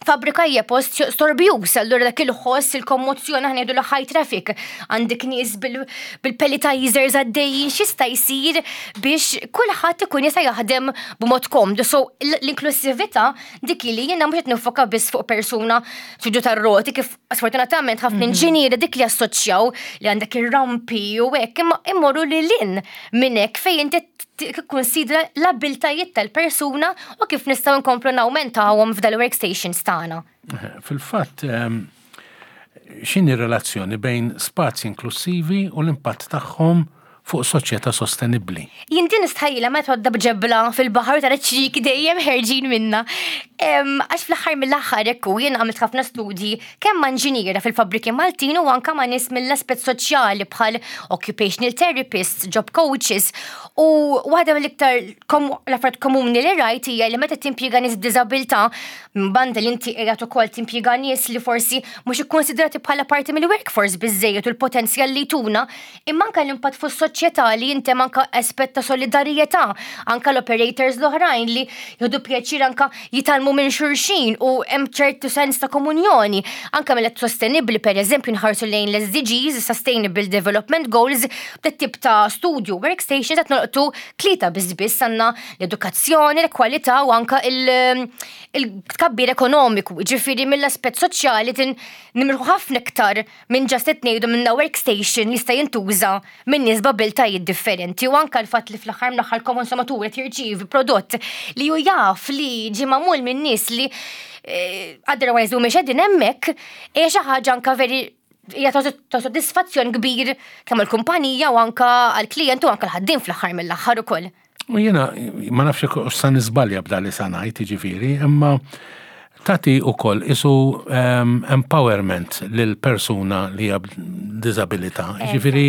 fabbrika hija post storbjuż, allura dak il-ħoss, il-kommozzjoni aħna ngħidu high traffic, għandek nies bil-pelletizers għaddejjin, x'jista' jsir biex kulħadd ikun jista' jaħdem b'mod komdu. So l-inklusività dik li jiena mhux qed nifoka biss fuq persuna siġġu tar-roti kif sfortunatament ħafna mhm. inġinieri dik li assoċjaw li għandek ir-rampi u hekk imma immorru lil hinn minn hekk fejn inti tikkunsidra l-abiltajiet tal-persuna u kif nistgħu nkomplu nawmentawhom f'dal-workstations tagħna. Fil-fatt, ehm, x'inhi relazzjoni bejn spazji inklussivi u l-impatt tagħhom fuq soċjetà sostenibbli. Jien din nistħajjilha meta tgħodda b'ġebla fil-baħar tara ċ-ċrieki dejjem ħerġin minnha. Għax fl-aħħar mill-aħħar hekk hu, jien għamilt ħafna studji kemm ma' inġiniera fil-fabbriki Maltin u anke ma' nies mill-aspett soċjali bħal occupational therapists, job coaches u waħda mill-iktar l-affarijiet komuni li rajt hija li meta timpjega nies b'diżabilità minn banda li inti qiegħed ukoll timpjega nies li forsi mhux ikkonsidrati bħala parti mill-workforce biżżejjed u l-potenzjal li jtuna, Imma anke l-impatt fuq is-soċjetà. soċjetà li inti hemm anke aspett ta' solidarjetà, anke l-operators l-oħrajn li jieħdu pjaċir anke jitgħallmu minn xulxin u hemm ċertu sens ta' komunjoni. Anke mill sostenibbli pereżempju nħarsu lejn l-SDGs, Sustainable Development Goals, b'dat tip ta' studju workstation qed nolqtu tlieta biss biss għandna l-edukazzjoni, l-kwalità u anke il-tkabbir ekonomiku. Ġifieri mill-aspett soċjali tin nimirħu ħafna iktar minn just qed ngħidu minna workstation jista' jintuża minn nies b'abiltajiet differenti u anke l-fatt li fl-aħħar mill-aħħar konsumatur qed jirċievi prodott li hu jaf li ġie magħmul minn nies li otherwise mhumiex qegħdin hemmhekk hija xi ħaġa anke veri hija ta' soddisfazzjon kbir kemm għall-kumpanija u anke għall-klijent u anke l-ħaddiem fl-aħħar mill-aħħar ukoll. U jiena ma nafx jekk sa niżbalja b'dan li sa ngħid, jiġifieri, imma tagħti wkoll isu empowerment lil persuna li hija b'diżabilità. Jiġifieri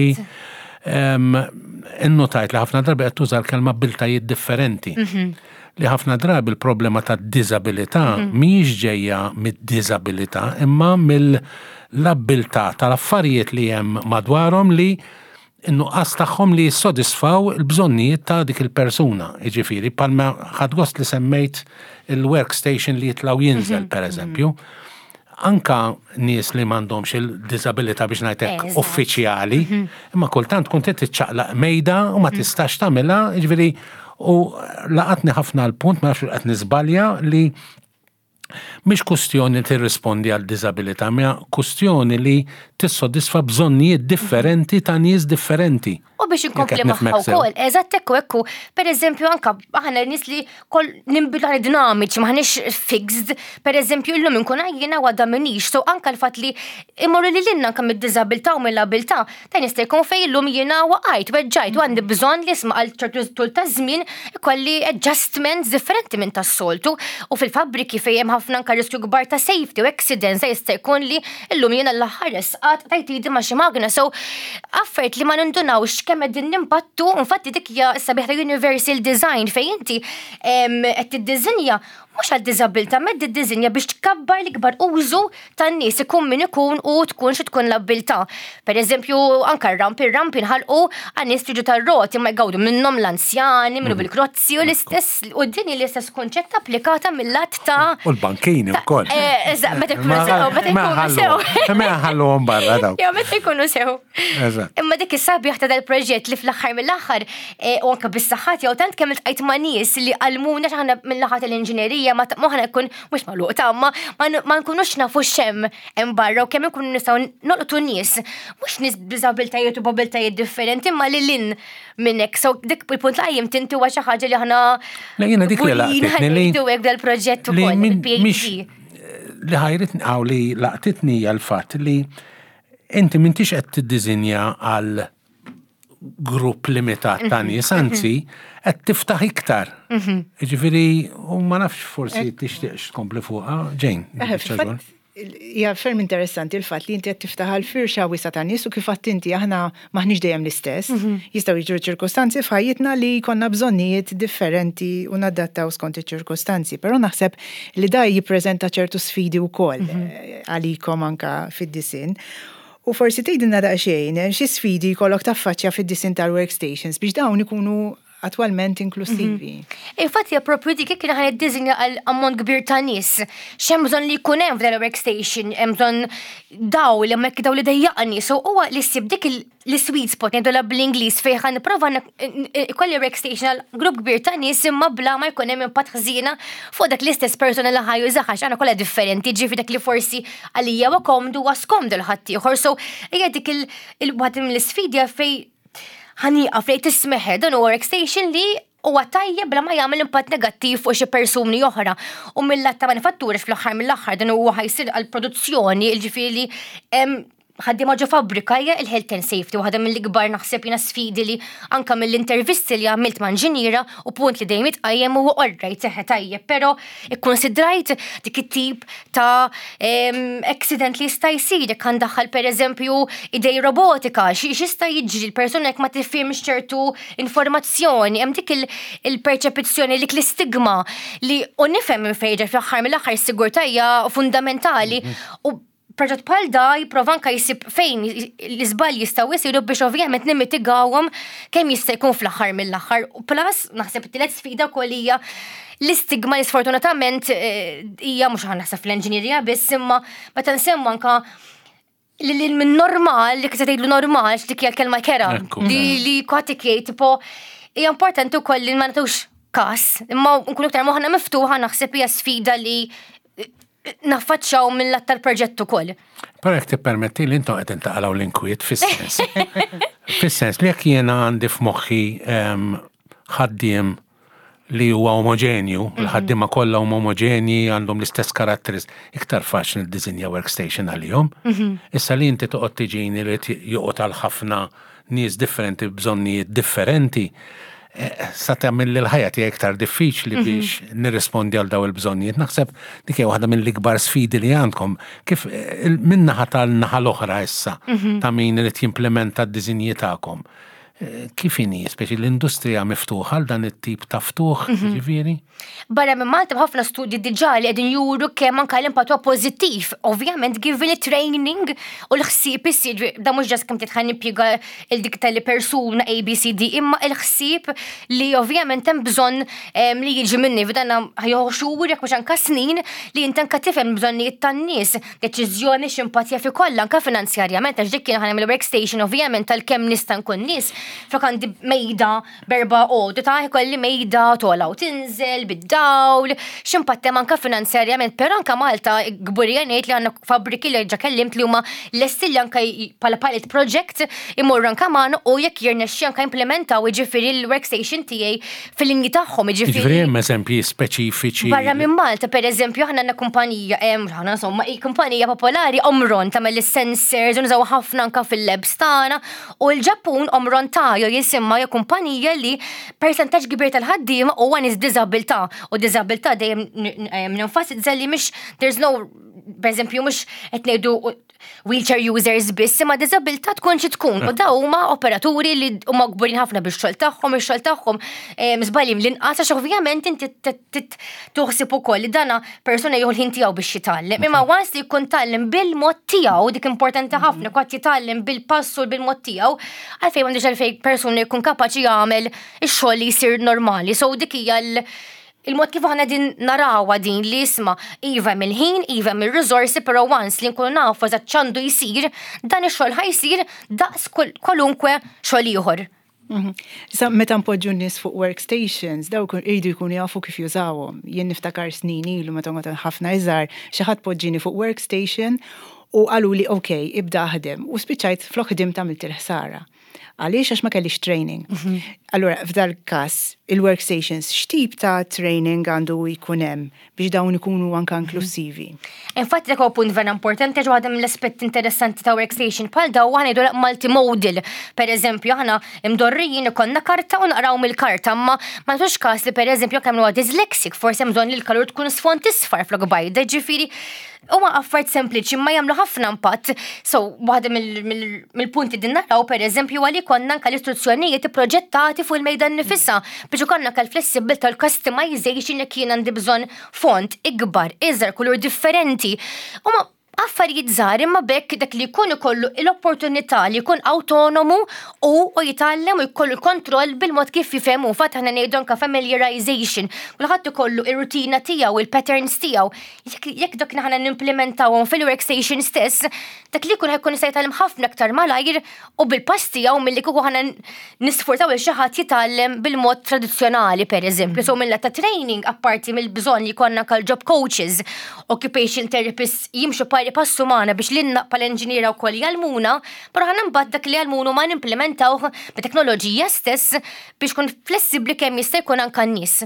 innotajt li ħafna drabi qed tuża l-kelma abbiltajiet differenti. Li ħafna drabi l-problema tad-diżabilità mhijiex ġejja mid-diżabilità imma mill-abbiltà tal-affarijiet li hemm madwarhom li n-nuqqas tagħhom li jissodisfaw il-bżonnijiet ta' dik il-persuna. Jiġifieri, bħalma ħadt gost li semmejt il-workstation li jitla' u jinżel, per eżempju. Anka nies li m'għandhomx il-diżabilità biex ngħid hekk uffiċjali, imma kultant tkun trid tiċċaqlaq mejda u ma tistax tagħmilha, jiġifieri u laqatni ħafna l-punt, ma nafx qed niżbalja, li Mhix kustjoni li tirrispondi għal diżabilità, imma kustjoni li tissodisfa bżonnijiet differenti ta' nies differenti. U biex inkompli magħha wkoll, eżatt ekku ekku, per eżempju anka aħna nies li kol ninbidlu aħna dinamiċi, maħniex fixed, per eżempju illum inkun għajjiena u għadha minix, so anka l-fatt li immorru lil hinn anka mid-diżabilità u mill-abilità, Dan jista' jkun fejn illum jiena waqajt, weġġajt u għandi bżonn li isma' għal ċertu tul ta' żmien ikolli adjustments differenti minn tas-soltu u fil-fabbriki fejn hemm ħafna anke riskju kbar ta' safety u accidents jista' jkun li llum jiena l-aħħar resqat tajt idi ma' xi magna so affarijiet li ma nindunawx kemm qegħdin nimpattu infatti dik hija s-sabiħ ta' universal design fejn inti qed tiddiżinja mhux għad-diżabbiltà, imma qed tiddiżinja biex tkabbar l-ikbar użu tan-nies ikun min ikun u tkun xi tkun l-abbiltà. Per eżempju, anke r-ramp, ir-ramp inħalqu għan-nies li jiġu tar-roti imma jgawdu minnhom l-anzjani, minnu bil-krozzi u l-istess u din hi l-istess kunċett applikata mill-lat ta' U l-bankini wkoll. Eh, eżatt, meta jkunu sew, meta jkunu sew. Ma ħalluhom barra dawk. Jew meta jkunu sew. Eżatt. Imma dik is-sabiħ ta' dal-proġett li fl-aħħar mill-aħħar eh, u anke bis-saħħa tiegħu tant kemm iltqajt ma' nies li għallmuna x'aħna mill-naħa tal-inġinerija ma moħħna jkun mhux magħluq ta' ma ma nkunux nafu x'hemm hemm barra u kemm inkunu nistgħu nolqtu nies mhux nies b'diżabiltajiet u b'abiltajiet differenti imma lil hinn minn hekk. So dik il-punt li qajjimt inti huwa xi ħaġa li aħna Le jiena dik li laqtitni li ngħidu hekk dal-proġett ukoll il-PhD. Li ħajritni hawn li laqtitni hija l-fatt li Inti m'intix qed tiddiżinja għal grupp limitat ta' mhm. nies, anzi qed tiftaħ iktar. Mhm. Jiġifieri u ma nafx forsi tixtieqx tkompli fuqha, Jane. Eh, hija ferm interessanti l-fatt li inti qed tiftaħ għal firxa wiesa ta' nies u kif għedt inti aħna maħniex dejjem l-istess. Mhm. Jistgħu jiġru ċirkustanzi f'ħajjitna li jkollna bżonnijiet differenti u nadattaw skont iċ-ċirkustanzi. Però naħseb li da jippreżenta ċertu sfidi wkoll mhm. eh, għalikom anka fid-disinn. U forsi tgħidilna daqsxejn eh, xi sfidi jkollok taffaċċja fid-disinn tal-workstations biex dawn ikunu attwalment inklusivi. Mhm. Infatti hija propju dik kien ħan iddiżinja għal ammont kbir ta' nies. X'hemm bżonn li jkun hemm f'dan il-workstation, hemm bżonn daw li hemmhekk daw li dejjaqni. So huwa li ssib dik l-sweet spot ngħidulha bl-Ingliż fejn ħa nipprova ikolli workstation għal grupp kbir ta' nies imma bla ma jkun hemm impatt ħżiena fuq dak l-istess persuna li ħa jużaha għax aħna kollha differenti, ġifieri dak li forsi għalija huwa komdu huwa skomdu l ħaddieħor. So hija dik il-waħda mill-isfidi fejn ħa nieqaf li tismeħ dan huwa workstation li huwa tajjeb bla ma jagħmel impatt negattiv fuq xi persuni oħra. U mill-lat ta' manifattura fl-aħħar mill-aħħar dan huwa ħa jsir għall-produzzjoni, jiġifieri ħaddiema ġo fabbrika hija il-health and safety, waħda mill-ikbar naħseb jiena sfidi li anka mill-intervisti li għamilt ma' inġiniera u punt li dejjem jitqajjem huwa alright seħħa tajjeb, però ikkonsidrajt dik it-tip ta' accident li jista' jsir jekk għandaħħal pereżempju idej robotika, x'jista' jiġri l-persuna jekk ma tifhimx ċertu informazzjoni, hemm dik il-perċepizzjoni dik l-istigma li u nifhem minn fejn ġej fl-aħħar mill-aħħar is-sigurtà hija fundamentali u. Proġett bħal da jipprova anka jsib fejn l-iżbalji jistgħu jsiru biex ovvjament nimmitigawhom kemm jista' jkun fl-aħħar mill-aħħar. U plus naħseb it-tielet sfida wkoll hija l-istigma li sfortunatament eh, hija mhux aħna naħseb fl-enġinjerija biss imma meta nsemmu anka li li minn normal, li kif tgħidlu normal, x'dik hija l-kelma kera, li li kwatik jgħid tipo hija importanti wkoll li ma nagħtux każ, imma nkunu iktar moħħna miftuħa naħseb hija sfida li naffaċċaw mill-lat tal-proġett ukoll. Però jekk tippermetti li intom qed intaqalgħu l-inkwiet fis-sens. Fis-sens li jekk jiena għandi f'moħħi ehm, ħaddiem li huwa omoġenju, mhm. l-ħaddiema kollha huma omoġenji, għandhom l-istess karatteris, iktar faċli niddisinja workstation għalihom. Mhm. Issa li inti toqgħod tiġini li joqgħod għal ħafna nies differenti b'bżonnijiet differenti, eh, sa tagħmel li l-ħajja tiegħi iktar diffiċli mhm. biex nirrispondi għal daw il-bżonnijiet. Naħseb dik hija waħda mill-ikbar sfidi li għandkom. Kif eh, min-naħa tal-naħa l-oħra issa mhm. ta' min irid jimplementa d-diżinji tagħkom. Eh, kif inhi, speċi l-industrija miftuħa għal dan it-tip ta' ftuħ, mhm. ġifieri? Barra minn Malta ħafna studji diġà li qegħdin juru kemm anke l-impatt huwa pożittiv. Ovvjament given it-training u l-ħsieb isir da mhux ġast kemm titħan nimpjega il dik tal persuna A B C D imma il-ħsieb li ovvjament hemm bżonn li jiġi minni f'dan ħajħu xhur jekk mhux anke snin li inti anke tifhem bżonnijiet tan-nies, deċiżjoni x'impatt jaf ikollha anke finanzjarjament għax dik kien ħa nagħmel workstation ovvjament tal-kemm nista' nkun nies flok għandi mejda berba għodu ta' ikolli mejda tola u tinżel bid-dawl, x'impatt hemm anke finanzjarjament, però anke Malta kburija ngħid li għandna fabbriki li ġa kellimt li huma lesti li anke bħala pilot project imorru anke magħna u jekk jirnexxi anke implementaw jiġifieri l-workstation tiegħi fil-linji tagħhom jiġifieri. Jiġifieri hemm eżempji speċifiċi. Barra minn Malta, pereżempju, aħna għandna kumpanija, aħna insomma, kumpanija popolari Omron tagħmel is-sensors u nużaw ħafna anke fil-labs tagħna U l-Ġappun Omron Tayo jisimha hija kumpanija li persentaġġ kbir tal-ħaddiema huwa nies b'diżabilità u diżabilità dejjem nenfasizza li mhix there's no pereżempju mhux qed ngħidu wheelchair users biss, imma diżabilità tkun xi tkun. U daw huma operaturi li huma kburin ħafna bix-xogħol tagħhom, ix-xogħol tagħhom żbalji l-inqas għax ovvjament inti tuħsib ukoll li dana persuna jieħu l-ħin tiegħu biex jitgħallem. Imma once li jkun tgħallem bil-mod tiegħu, dik importanti ħafna, kwatt jitgħallem bil-pass u bil-mod tiegħu, għalfejn m'għandux għalfejn persuna jkun kapaċi jagħmel ix-xogħol li jsir normali. So dik hija l- il-mod kif aħna din narawha din li isma' iva mill-ħin, iva mill-riżorsi, però once li nkunu nafu eżatt x'għandu jsir, dan ix-xogħol ħa jsir daqs kwalunkwe xogħol ieħor. Mhm. Issa meta npoġġu n-nies fuq workstations, dawk iridu jkunu jafu kif jużawhom. Jien niftakar snin ilu meta kont ħafna iżgħar, xi ħadd poġġini fuq workstation u qaluli ok, ibda aħdem. U spiċċajt flok ħdimt għamilt il-ħsara. Għaliex għax ma kellix training. Mhm. Allura f'dal każ il-workstations x'tip ta' training għandu jkun hemm biex dawn ikunu anka inklusivi. Infatti dak huwa punt vera importanti għax waħda mill-aspetti interessanti ta' workstation bħal daw aħna ngħidu multimodal. Per eżempju, aħna imdorrijin ikollna karta u naqraw mill-karta, imma ma nagħtux każ li per eżempju kemm huwa dyslexic, forsi hemm bżonn li l-kalur tkun sfond isfar flok bajda, ġifieri huma affarijiet sempliċi ma jagħmlu ħafna impatt. So, waħda mill-punti din naraw per eżempju għalli konna anka l-istruzzjonijiet proġettati fuq il-mejda nifisha biex ikollna anka l-flessibilità l-customization jekk jien għandi bżonn font ikbar, iżgħar, kulur differenti. Huma affarijiet żgħar imma bekk dak li jkun ikollu l-opportunità li jkun autonomu u u jitgħallem u jkollu l-kontroll bil-mod kif jifhem u fatt aħna ngħidu anka familiarization. Kulħadd ikollu ir-rutina tiegħu, il-patterns tiegħu. Jekk dak aħna nimplementawhom fil-workstation stess, dak li jkun ħajkun jista' jitgħallem ħafna aktar malajr u bil-pass tiegħu milli kieku aħna nisforzaw lil xi ħadd jitgħallem bil-mod tradizzjonali pereżempju. So mill ta' training apparti mill-bżonn li jkollna anke job coaches, occupation therapists jimxu pari passu magħna biex lilna bħala inġiniera wkoll jgħallmuna, però aħna mbagħad dak li jgħallmuna ma nimplementawh bit-teknoloġija stess biex kun flessibbli kemm jista' jkun anke n-nies.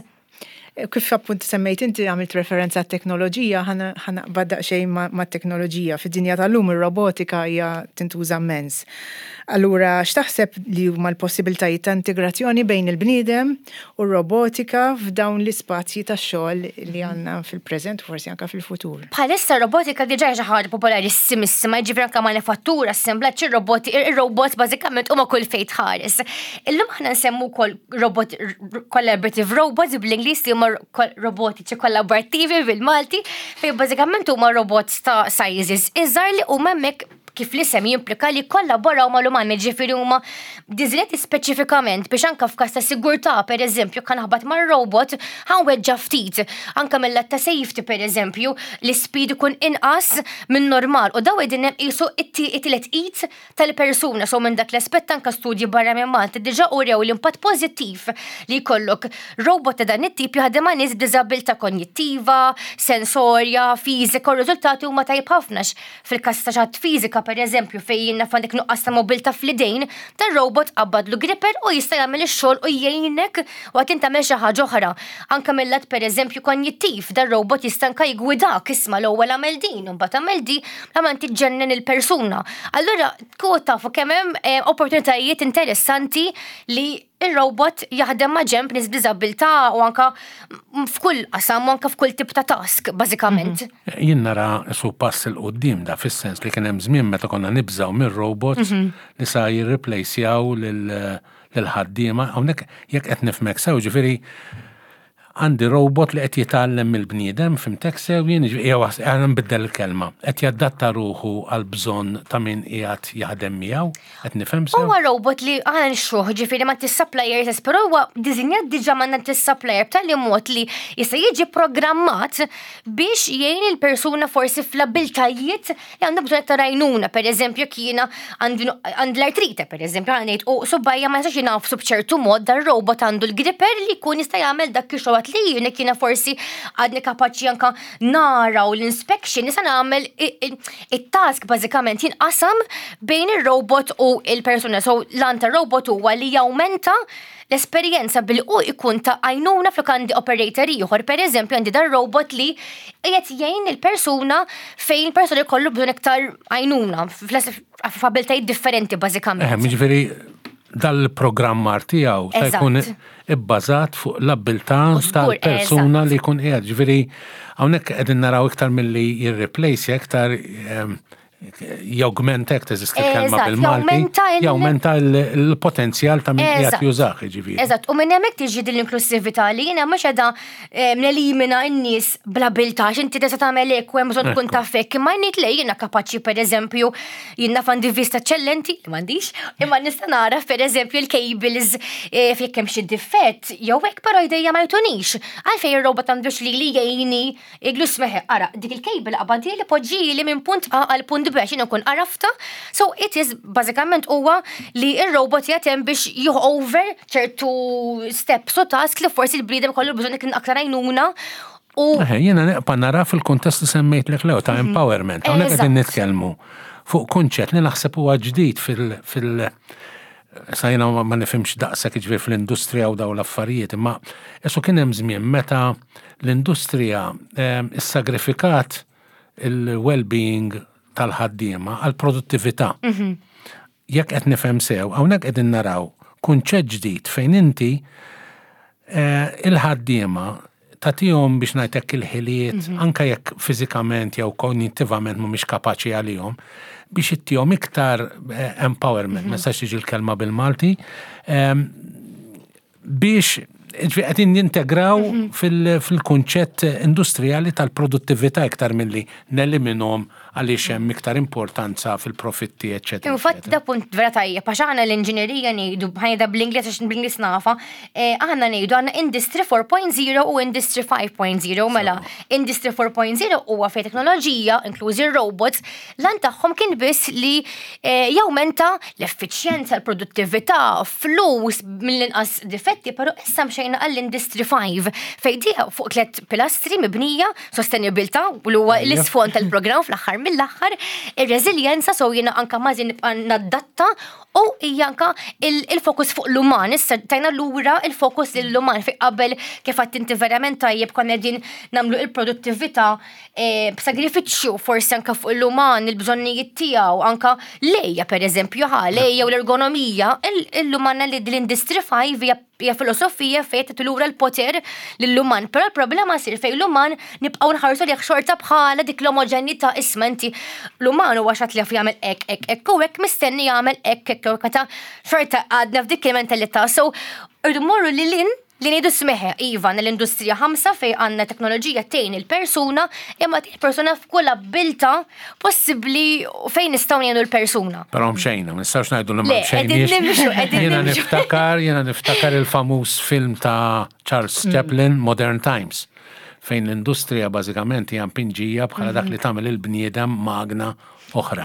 Kif appunt semmejt inti għamilt referenza għat-teknoloġija, ħa naqbad daqsxejn mat-teknoloġija. Fid-dinja tal-lum ir-robotika hija tintuża mmens. Allura x'taħseb li huma l-possibiltajiet ta' integrazzjoni bejn il-bniedem u r-robotika f'dawn l-ispazji tax-xogħol li għandna fil-preżent u forsi anke fil-futur? Bħalissa r-robotika diġà hija xi ħaġa popolarissimissima, jiġifieri anke manifattura, assemblaġġ, ir-roboti, ir-robots bażikament huma kull fejn tħares. Illum aħna nsemmu wkoll robot collaborative robots bl-Ingliż li huma huma robotiċi kollaborattivi bil-Malti, fejn bażikament huma robots ta' sizes iżgħar li huma hemmhekk kif l-isem jimplika li kollaboraw mal-umani, ġifieri huma diżinjati speċifikament biex anka f'każ ta' sigurtà, pereżempju, kan ħabat mar-robot ħanweġġa' ftit. Anka mill-lat ta' safety, pereżempju, l-ispeed ikun inqas minn normal u daw qegħdin hemm qisu it-tielet id tal-persuna. So minn dak l-aspett anka studji barra minn Malta diġà urew l-impatt pożittiv li jkollok robot ta' dan it-tip jaħdem ma' nies b'diżabilità konjittiva, sensorja, fiżika u r-riżultati huma tajjeb ħafna għax fil-każ ta' xi ħadd fiżika pereżempju fejn jien naf għandek nuqqas ta' mobilità fl-idejn, dan robot qabbadlu gripper u jista' jagħmel ix-xogħol u jgħinek waqt li tagħmel xi ħaġa oħra. Anke mill-lat pereżempju konjittiv, dan robot jista' anke jiggwidak, isma' l-ewwel agħmel din u mbagħad agħmel di, la ma inti ġġennen il-persuna. Allura tkun tafu kemm hemm eh, opportunitajiet interessanti li ir-robot jaħdem ma' ġemp nies b'diżabilità u anka f'kull qasam u anka f'kull tip ta' task, bażikament. Mhm. Jien nara su pass il qudiem da fis-sens li kien hemm żmien meta konna nibżgħu mir-robots mhm. li sa jirreplacjaw lil ħaddiema. Hawnhekk jekk qed nifhmek sew, ġifieri għandi robot li qed jitgħallem mill-bniedem, fhimtek sew jien, jew għana nbiddel il-kelma, qed jadatta ruħu għal bżonn ta' min qiegħed jaħdem miegħu, qed nifhem sew. Huwa robot li aħna nixtruh, ġifieri ma tis-supplier stess, però huwa diżinjat diġà ma tis-supplier b'tali mod li jista' jiġi programmat biex jgħin il-persuna forsi fl-abiltajiet li għandu bżonn aktar għajnuna, per eżempju, jekk jiena għandi l-artrite, per eżempju, għandi ngħid u subajja ma jistax jingħafsu b'ċertu mod dar robot għandu l-gripper li jkun jista' jagħmel dak ix-xogħol li jien jekk jiena forsi għadni kapaċi anka nara u l-inspection nista' nagħmel it-task bażikament jinqasam bejn ir-robot u il-persuna. So l-għan tar-robot huwa li jawmenta l-esperjenza bil u ikun ta' għajnuna flok għandi operator ieħor. Per eżempju, għandi dan robot li qiegħed jgħin il-persuna fejn il-persuna jkollu bżonn iktar għajnuna f'abiltajiet differenti bażikament. Eh, jiġifieri dal-programmar tiegħu ta' jkun ibbażat fuq l-abbiltà tal-persuna li jkun qiegħed. Ġifieri hawnhekk qegħdin naraw iktar milli jirreplace iktar jawgmenta jekk teżisti l-kelma bil-Malti, jawmenta l-potenzjal ta' min qiegħed jużah, jiġifieri. Eżatt, u minn hemmhekk tiġi din l-inklusività li jiena mhux qiegħda eh, nelimina n-nies bl-abilità x'inti tista' tagħmel hekk u hemm bżonn tkun taf hekk, imma ngħid le jiena kapaċi pereżempju jien naf għandi vista eċċellenti, li m'għandix, imma nista' nara pereżempju l-cables eh, jekk hemm xi difett jew hekk però jdejja ma jtunix. Għalfejn ir-robot għandux li li jgħinni Iglus meħe, ara, dik il-cable qabadili poġġili minn punt A għal punt B, x'in ikun għarafta. So it is bażikament huwa li ir-robot jatem biex jieħu over ċertu steps u task li forsi l-bniedem kollu bżonn ikun aktar għajnuna. U Jiena neqpa nara fil-kuntest li semmejtlek lew ta' empowerment. Hawnhekk qegħdin nitkellmu fuq kunċett li naħseb huwa ġdid fil- Sa jiena ma nifhimx daqshekk ġifieri fl-industrija u dawn l-affarijiet, imma qisu kien hemm żmien meta l-industrija issagrifikat il-well-being tal-ħaddiema għall-produttività. Mhm. Jekk qed nifhem sew, hawnhekk qegħdin naraw kunċett ġdid fejn inti eh, il-ħaddiema tagħtihom biex ngħidlek il-ħiliet, mhm. anke jekk fiżikament jew kognittivament mhumiex kapaċi għalihom, biex ittihom iktar eh, empowerment, ma mhm. nistax tiġi l-kelma bil-Malti, ehm, biex qegħdin nintegraw mhm. fil-kunċett industrijali tal-produttività iktar milli neliminhom għaliex hemm iktar importanza fil-profitti, eċċetera. Infatti da punt vera tajjeb, għax aħna l-inġinerija ngħidu ħajda bl-Ingliż għax bl-Ingliż nafa, eh, aħna ngħidu għandna Industry 4.0 u Industry 5.0 mela Industry 4.0 huwa fejn teknoloġija, inklużi robots, lan tagħhom kien biss li eh, jawmenta l-effiċjenza, l-produttività, flus mill-inqas difetti, però issa mxejna għall-Industry 5 fejn di fuq tliet pilastri mibnija sostenibilità u li huwa l-isfond tal-programm fl-aħħar mill-aħħar, ir-reżiljenza so jiena anka mażin nibqa' nadatta u hija anka il-fokus fuq l-uman, issa tajna lura il-fokus lill-uman fi qabel kif għadt inti verament tajjeb konna qegħdin nagħmlu il-produttività eh, b'sagrifiċċju forsi anka fuq l-uman, il-bżonnijiet tiegħu, anka lejja pereżempju, ħa lejja u l-ergonomija, l-uman li l-Industry 5 hija hija filosofija fejn tagħti lura l-poter lill-uman, però l-problema sir fejn l-uman nibqgħu nħarsu lejh xorta bħala dik l-omoġenità isma' inti l-uman huwa xatt li jaf jagħmel hekk hekk hekk u hekk mistenni jagħmel hekk hekk hekk meta xorta għadna f'dik il-mentalità. So irridu mmorru lil hinn. li ngħidu smeħe, iva, għandna l-industrija 5 fejn għandna teknoloġija tgħin il-persuna, imma tgħin il-persuna f'kull abbiltà possibbli fejn nistgħu ngħinu l-persuna. Però mxejna, ma nistgħux ngħidu li ma Le, qegħdin mxejniex. nimxu, qegħdin Jiena nimxu. niftakar, jiena niftakar il-famuż film ta' Charles Chaplin, Modern Times, fejn l-industrija bażikament hija mpinġija bħala dak li tagħmel il-bniedem magna oħra.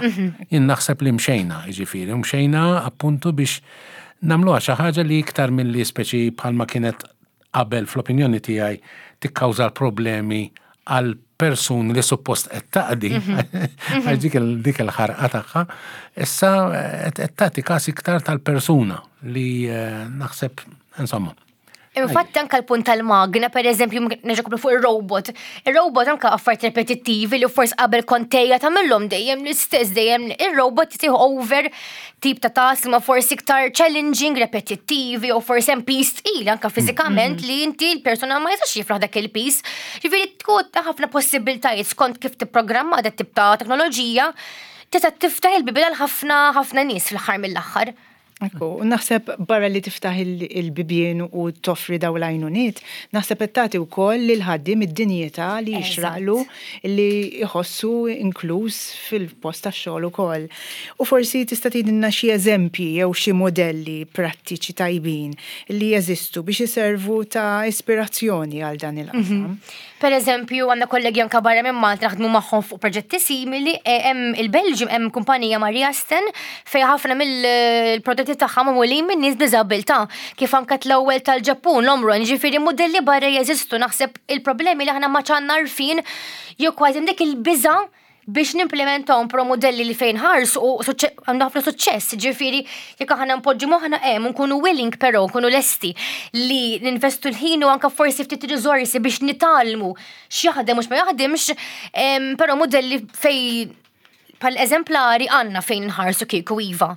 Jien naħseb li mxejna, jiġifieri, mxejna appuntu biex nagħmluha xi ħaġa li iktar milli speċi bħalma kienet qabel fl-opinjoni tiegħi tikkawża problemi għal persuni li suppost qed taqdi, għax dik il-ħarqa tagħha, issa qed tagħti każ iktar tal-persuna li naħseb, insomma. Infatti anka l-punt tal-magna, per eżempju, nerġa' nkomplu fuq il-robot. Il-robot anka affarijiet repetittivi li forsi qabel kontejja tagħmilhom dejjem l-istess, dejjem il-robot jtieħu over tip ta' task ma forsi iktar challenging, repetittivi, u forsi hemm piż tqil anka fiżikament li inti l-persuna ma jistax jifraħ dak il-piż. Ġifieri tkun ta' ħafna possibiltajiet skont kif tipprogramma dak tip ta' teknoloġija tista' tiftaħ il-bibien għal ħafna ħafna nies fl-aħħar mill-aħħar. Ekku, u naħseb barra li tiftaħ il-bibien u toffri daw l-għajnuniet, naħseb qed tagħti wkoll lil ħaddiem id-dinjità li jixraqlu li jħossu inkluż fil-post tax-xogħol ukoll. U forsi tista' tgħidilna xi eżempji jew xi modelli prattiċi tajbin li jeżistu biex iservu ta' ispirazzjoni għal dan il-qasam. Per eżempju, għandna kollegi anka barra minn Malta naħdmu magħhom fuq proġetti simili, hemm il-Belġium hemm kumpanija Maria Sten fejn ħafna mill-prodotti tagħha magħmulin minn nies b'diżabilità, kif anke l-ewwel tal-Ġappun, l-Omron, ġifieri modelli barra jeżistu. Naħseb il-problemi li aħna ma ċanna għarfien jew kważi dik il-biża' biex nimplementawhom pro modelli li fejn ħarsu u għandu ħafna suċċess, ġifieri jekk aħna npoġġu moħħna hemm nkunu willing però nkunu lesti li ninvestu l-ħin u anka forsi ftit riżorsi biex nitgħallmu x'jaħdem u x'ma jaħdimx, però modelli fej pal eżemplari għandna fejn nħarsu kieku iva.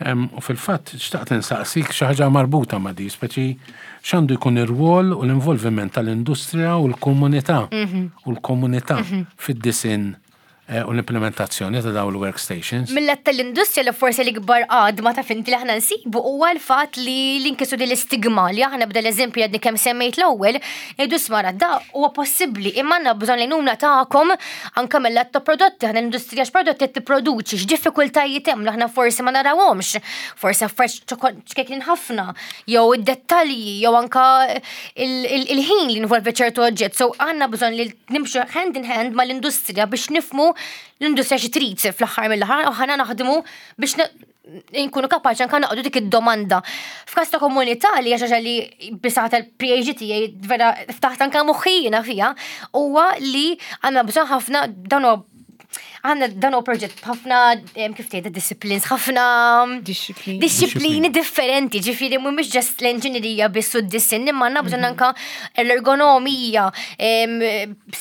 U fil-fatt, xtaqt insaqsik xi ħaġa marbuta ma' di, speċi x'għandu jkun ir-rwol u l-involviment tal-industrija u l-komunità u l-komunità fid-disinn u l-implementazzjoni ta' dawn il-workstations. Mill-lat tal-industrija li forsi l-ikbar għadma ta' finti li aħna nsibu huwa l-fatt li l-inkisu din l-istigma li aħna bda l-eżempju għadni kemm semmejt l-ewwel, ngħidu smara da huwa possibbli imma għandna bżonn l-għajnuna tagħkom anke mill-lat ta' prodotti, aħna l-industrija x'prodotti qed tipproduċi, x'diffikultajiet hemm li aħna forsi ma narawhomx, forsi affarijiet ċkejknin ħafna, jew id-dettalji, jew anka il-ħin li involvi ċertu oġġett. So għandna bżonn li nimxu hand in hand mal-industrija biex nifmu l-industrija xi trid fl-aħħar mill-aħħar u ħana naħdmu biex nkunu kapaċi anke naqdu dik id-domanda. F'każ ta' komunità li hija xi ħaġa li bisaħ tal-PhD tiegħi vera ftaħt anke moħħi fiha, huwa li għandna bżonn ħafna dan huwa għandna dan huwa proġett b'ħafna, kif tgħid, disciplines, ħafna Disciplini. disciplini differenti, ġifieri mhumiex just l-enġinerija biss u d-disinn, imma għandna bżonn anka l-ergonomija,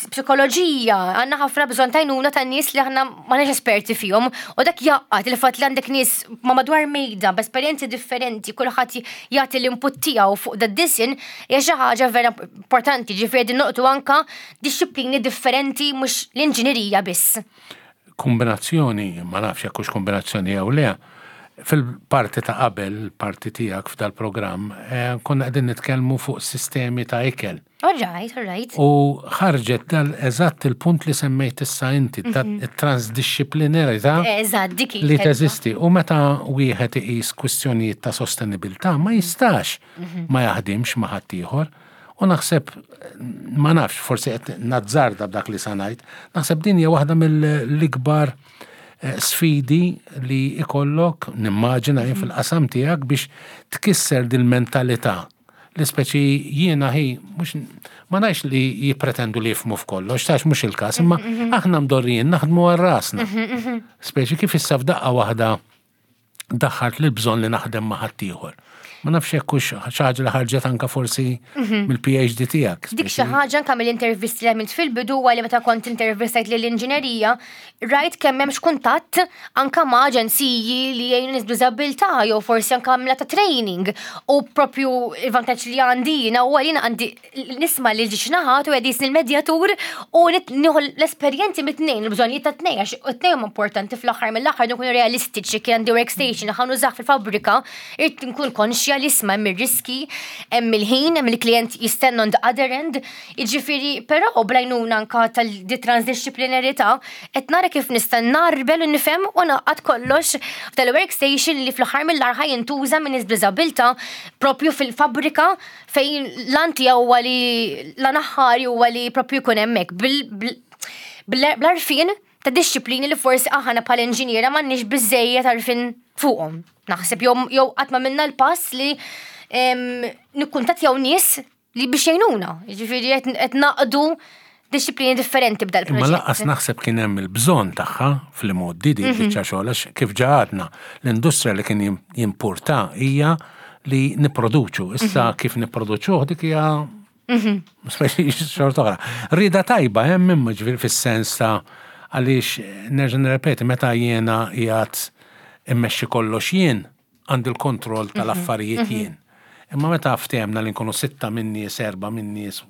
psikoloġija, għandna ħafna bżonn tajnuna ta' nies li aħna m'aħniex esperti fihom, u dak jaqgħad il-fatt li għandek nies ma' madwar mejda b'esperjenzi differenti, kulħadd jagħti l-input tiegħu fuq da disinn, hija xi ħaġa vera importanti, ġifieri din noqtu anka disciplini differenti mhux l-inġinerija biss. Kombinazzjoni, ma nafx jekk hux kombinazzjoni jew le, fil-parti ta' qabel, parti tiegħek f'dal-programm, konna qegħdin nitkellmu fuq sistemi ta' ikel. All right, all right. U ħarġet dal eżatt il-punt li semmejt issa inti, it-transdisciplinarità Eżatt, dik li teżisti. U meta wieħed iqis kwistjonijiet ta' sostenibilità ma jistax ma jaħdimx ma' ħaddieħor. U naħseb, ma nafx, forsi qed nazzarda b'dak li sa ngħid, naħseb din hija waħda mill-ikbar sfidi li ikollok, nimmaġina jien fil-qasam tiegħek biex tkisser dil-mentalità. Li speċi jiena hi, mhux, ma ngħidx li jippretendu li jifhmu f'kollox, tax mhux il-każ, imma aħna mdorrijin naħdmu għal rasna. Speċi kif issa f'daqqa waħda daħħalt li bżonn li naħdem ma' ħaddieħor. Ma nafx jekk hux xi ħaġa li ħarġet anka forsi mill-PhD tiegħek. Dik xi ħaġa anka mill-intervisti li għamilt fil-bidu huwa li meta kont intervistajt lill-inġinerija, rajt kemm hemmx kuntatt anka ma' aġenziji li jgħinu nies b'diżabilità jew forsi anka għamla ta' training. U propju il-vantaġġ li għandi jiena huwa li jiena għandi nisma' lil ġiex naħat u qed il-medjatur u nieħu l-esperjenzi mit-tnejn, il-bżonnijiet ta' tnejn, għax it-tnejn huma importanti fl-aħħar mill-aħħar nkunu realistiċi kien għandi workstation. workstation li ħa nużah fil-fabbrika, irrid nkun konxja li isma' hemm ir-riski, hemm il-ħin, hemm il-klient jistenna on the other end, jiġifieri però bl-għajnuna anka tal-di transdixxiplinarità qed nara kif nista' ngħarbel u nifhem u ngħaqqad kollox f'dal-workstation li fl-aħħar mill-aħħar ħa jintuża minn nies b'diżabilità propju fil-fabbrika fejn l-għan tiegħu huwa li l-għan aħħari huwa li propju jkun hemmhekk bl-għarfien ta' dixxiplini li forsi aħna bħala inġiniera m'għandniex biżejjed għarfien fuqhom. Naħseb jew qatt ma minna l-pass li nikkuntattjaw nies li biex jgħinuna. Jiġifieri qed naqdu dixxiplini differenti b'dal proġett. Imma lanqas naħseb kien hemm il-bżonn tagħha fl-imgħoddi di mhm. biċċa xogħol għax kif ġa għadna l-industrija li kien jimpurta hija li nipproduċu. Issa mhm. kif nipproduċuh dik hija mhm. xorta oħra. Rida tajba hemm imma ġifieri fis-sens ta' għaliex nerġa' nirrepeti meta jiena qiegħed immexxi kollox jien għandi l-kontroll mhm. tal-affarijiet mhm. jien. Imma meta ftehemna li nkunu sitta minn nies, erba' minn nies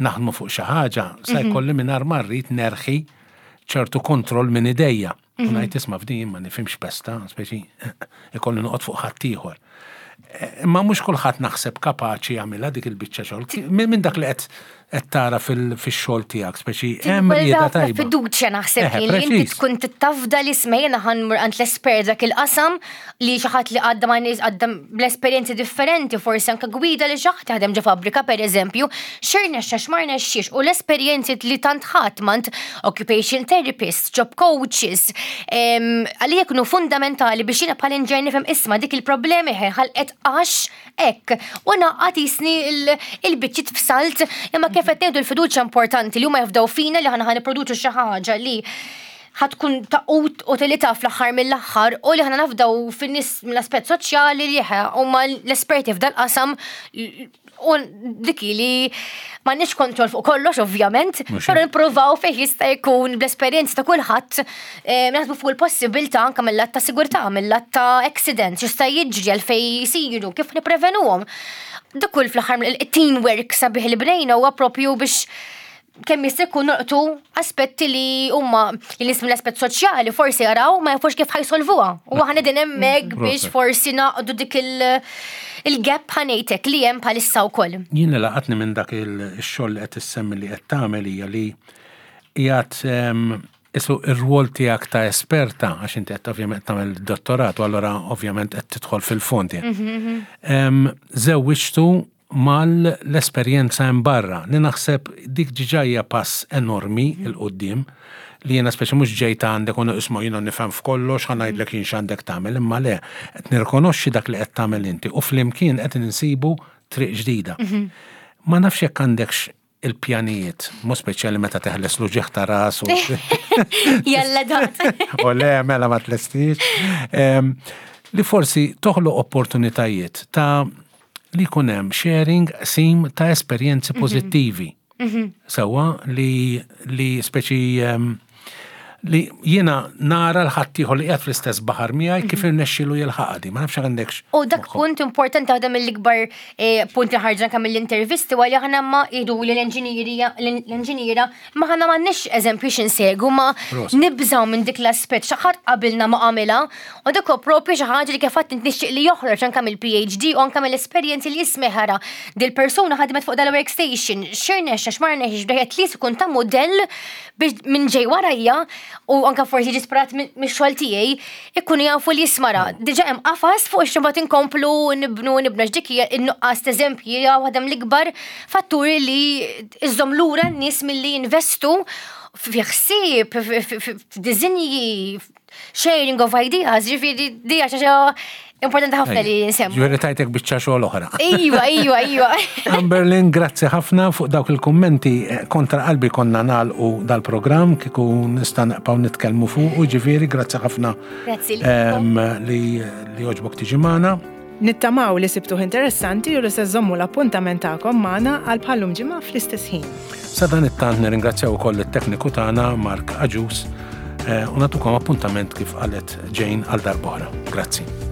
naħdmu fuq xi ħaġa, sa mhm. jkolli mingħajr ma rrid nerħi ċertu kontroll minn idejja. U ngħid isma' f'din ma nifhimx pesta, speċi ikolli noqgħod fuq ħaddieħor. Imma mhux kulħadd naħseb kapaċi jagħmilha dik il-biċċa xogħol. Minn dak li qed qed tara fix-xogħol tiegħek, speċi hemm rieda tajba. Fiduċja naħseb li inti tkun tittafda li smejna ħanmur għand l-espert dak il-qasam li xi ħadd li għadda ma' nies għadda bl-esperjenzi differenti, forsi anke gwida li xi ħadd jaħdem ġo fabbrika pereżempju, x'irnexxa x'ma rnexxiex u l-esperjenzi li tant ħadd m'għand occupation therapist, job coaches, għalija jkunu fundamentali biex jiena bħala inġer nifhem isma' dik il-problemi ħalqet għax hekk. U naqqat jisni il-biċċiet f'salt, imma kif qed ngħidu l-fiduċja importanti li huma jafdaw fina li ħana ħa xi ħaġa li ħatkun ta' utilità fl-aħħar mill-aħħar u li ħana nafdaw fin-nies mill-aspett soċjali li huma l-esperti f'dal-qasam U dik li m'għandniex kontroll fuq kollox ovvjament, però nippruvaw fejn jista' jkun bl-esperjenza ta' kulħadd eh, naħsbu fuq il-possibilità anke mill-lat ta' sigurtà, mill-lat ta' accidents, x'jista' jiġri għalfejn jsiru, kif nipprevenuhom. Dak kull fl-aħħar il-teamwork sabiħ li bnejna huwa propju biex kemm jista' jkun noqtu aspetti li huma li nies mill-aspett soċjali forsi jaraw ma jafux kif ħajsolvuha. U aħna din hemmhekk biex forsi naqdu dik il-gap ħanejtek li hemm bħalissa wkoll. Jien li laqatni minn dak il-xogħol li qed issemmi li qed tagħmel hija li qiegħed ehm, isu ir-rwol tiegħek ta' esperta għax inti qed ovvjament tagħmel dottorat u allura ovvjament qed tidħol fil-fond. Mhm, mhm. Ehm, żewwiġtu mal-esperjenza hemm barra, li naħseb dik diġà hija pass enormi 'l quddiem, li jiena speċi mhux ġejt għandek u isma' jiena nifhem f'kollox ħa ngħidlek jien x'għandek tagħmel, imma le, qed nirrikonoxxi dak li qed tagħmel inti u flimkien qed insibu triq ġdida. Ma nafx jekk għandekx il-pjanijiet, mhux speċjali meta teħles l-uġigħ ta' ras u. Jalla dat. U le, mela ma tlestix. Li forsi toħloq opportunitajiet ta' li jkun hemm sharing, qsim ta' esperjenzi mhm. pożittivi. Mhm. Sewwa li li speċi li jiena nara l-ħaddieħor li qiegħed fl-istess baħar miegħi kif mhm. irnexxielu jilħaqha di, ma nafx għandekx. U dak punt importanti waħda mill-ikbar eh, punt li ħarġna kemm mill-intervisti għalli aħna ma jgħidu li l-inġiniera ma ħana m'għandniex eżempju x'insegu ma nibżgħu minn dik l-aspett xi ħadd qabilna ma għamilha u dak huwa propju xi ħaġa li kif għadt nixtieq li joħroġ anke mill-PhD u anke mill-esperjenzi li jismeħara dil-persuna ħadmet fuq dal-workstation x'irnexxa x'ma rnexxiex bdejt li jkun ta' mudell biex minn ġej warajja u anka forsi ġi sparat mix-xogħol tiegħi ikunu jafu li jismara. Diġà hemm qafas fuq xi inkomplu nibnu nibnu dik hija n-nuqqas t'eżempji hija waħda mill-ikbar fatturi li iżżomm lura n-nies milli jinvestu fi ħsieb, f'diżinji, sharing of ideas, ġifieri dija xi importanti ħafna li nsemmu. Ġifieri tajtek biċċa xogħol oħra. Iva, iva, iva. Amberlin, grazzi ħafna fuq dawk il-kummenti eh, kontra qalbi konna nagħlqu dal-programm kieku nista' naqbgħu nitkellmu fuq u ġifieri grazzi ħafna Grazzi ehm, li li oġbok tiġi magħna. Nittamaw li sibtuh interessanti u li se żommu l-appuntament tagħkom magħna għal bħallum ġimgħa fl-istess ħin. Sa dan it-tant nirringrazzjaw ukoll it-tekniku tagħna Mark Aġus eh, u nagħtukom appuntament kif qalet Jane għal darb'oħra. Grazzi.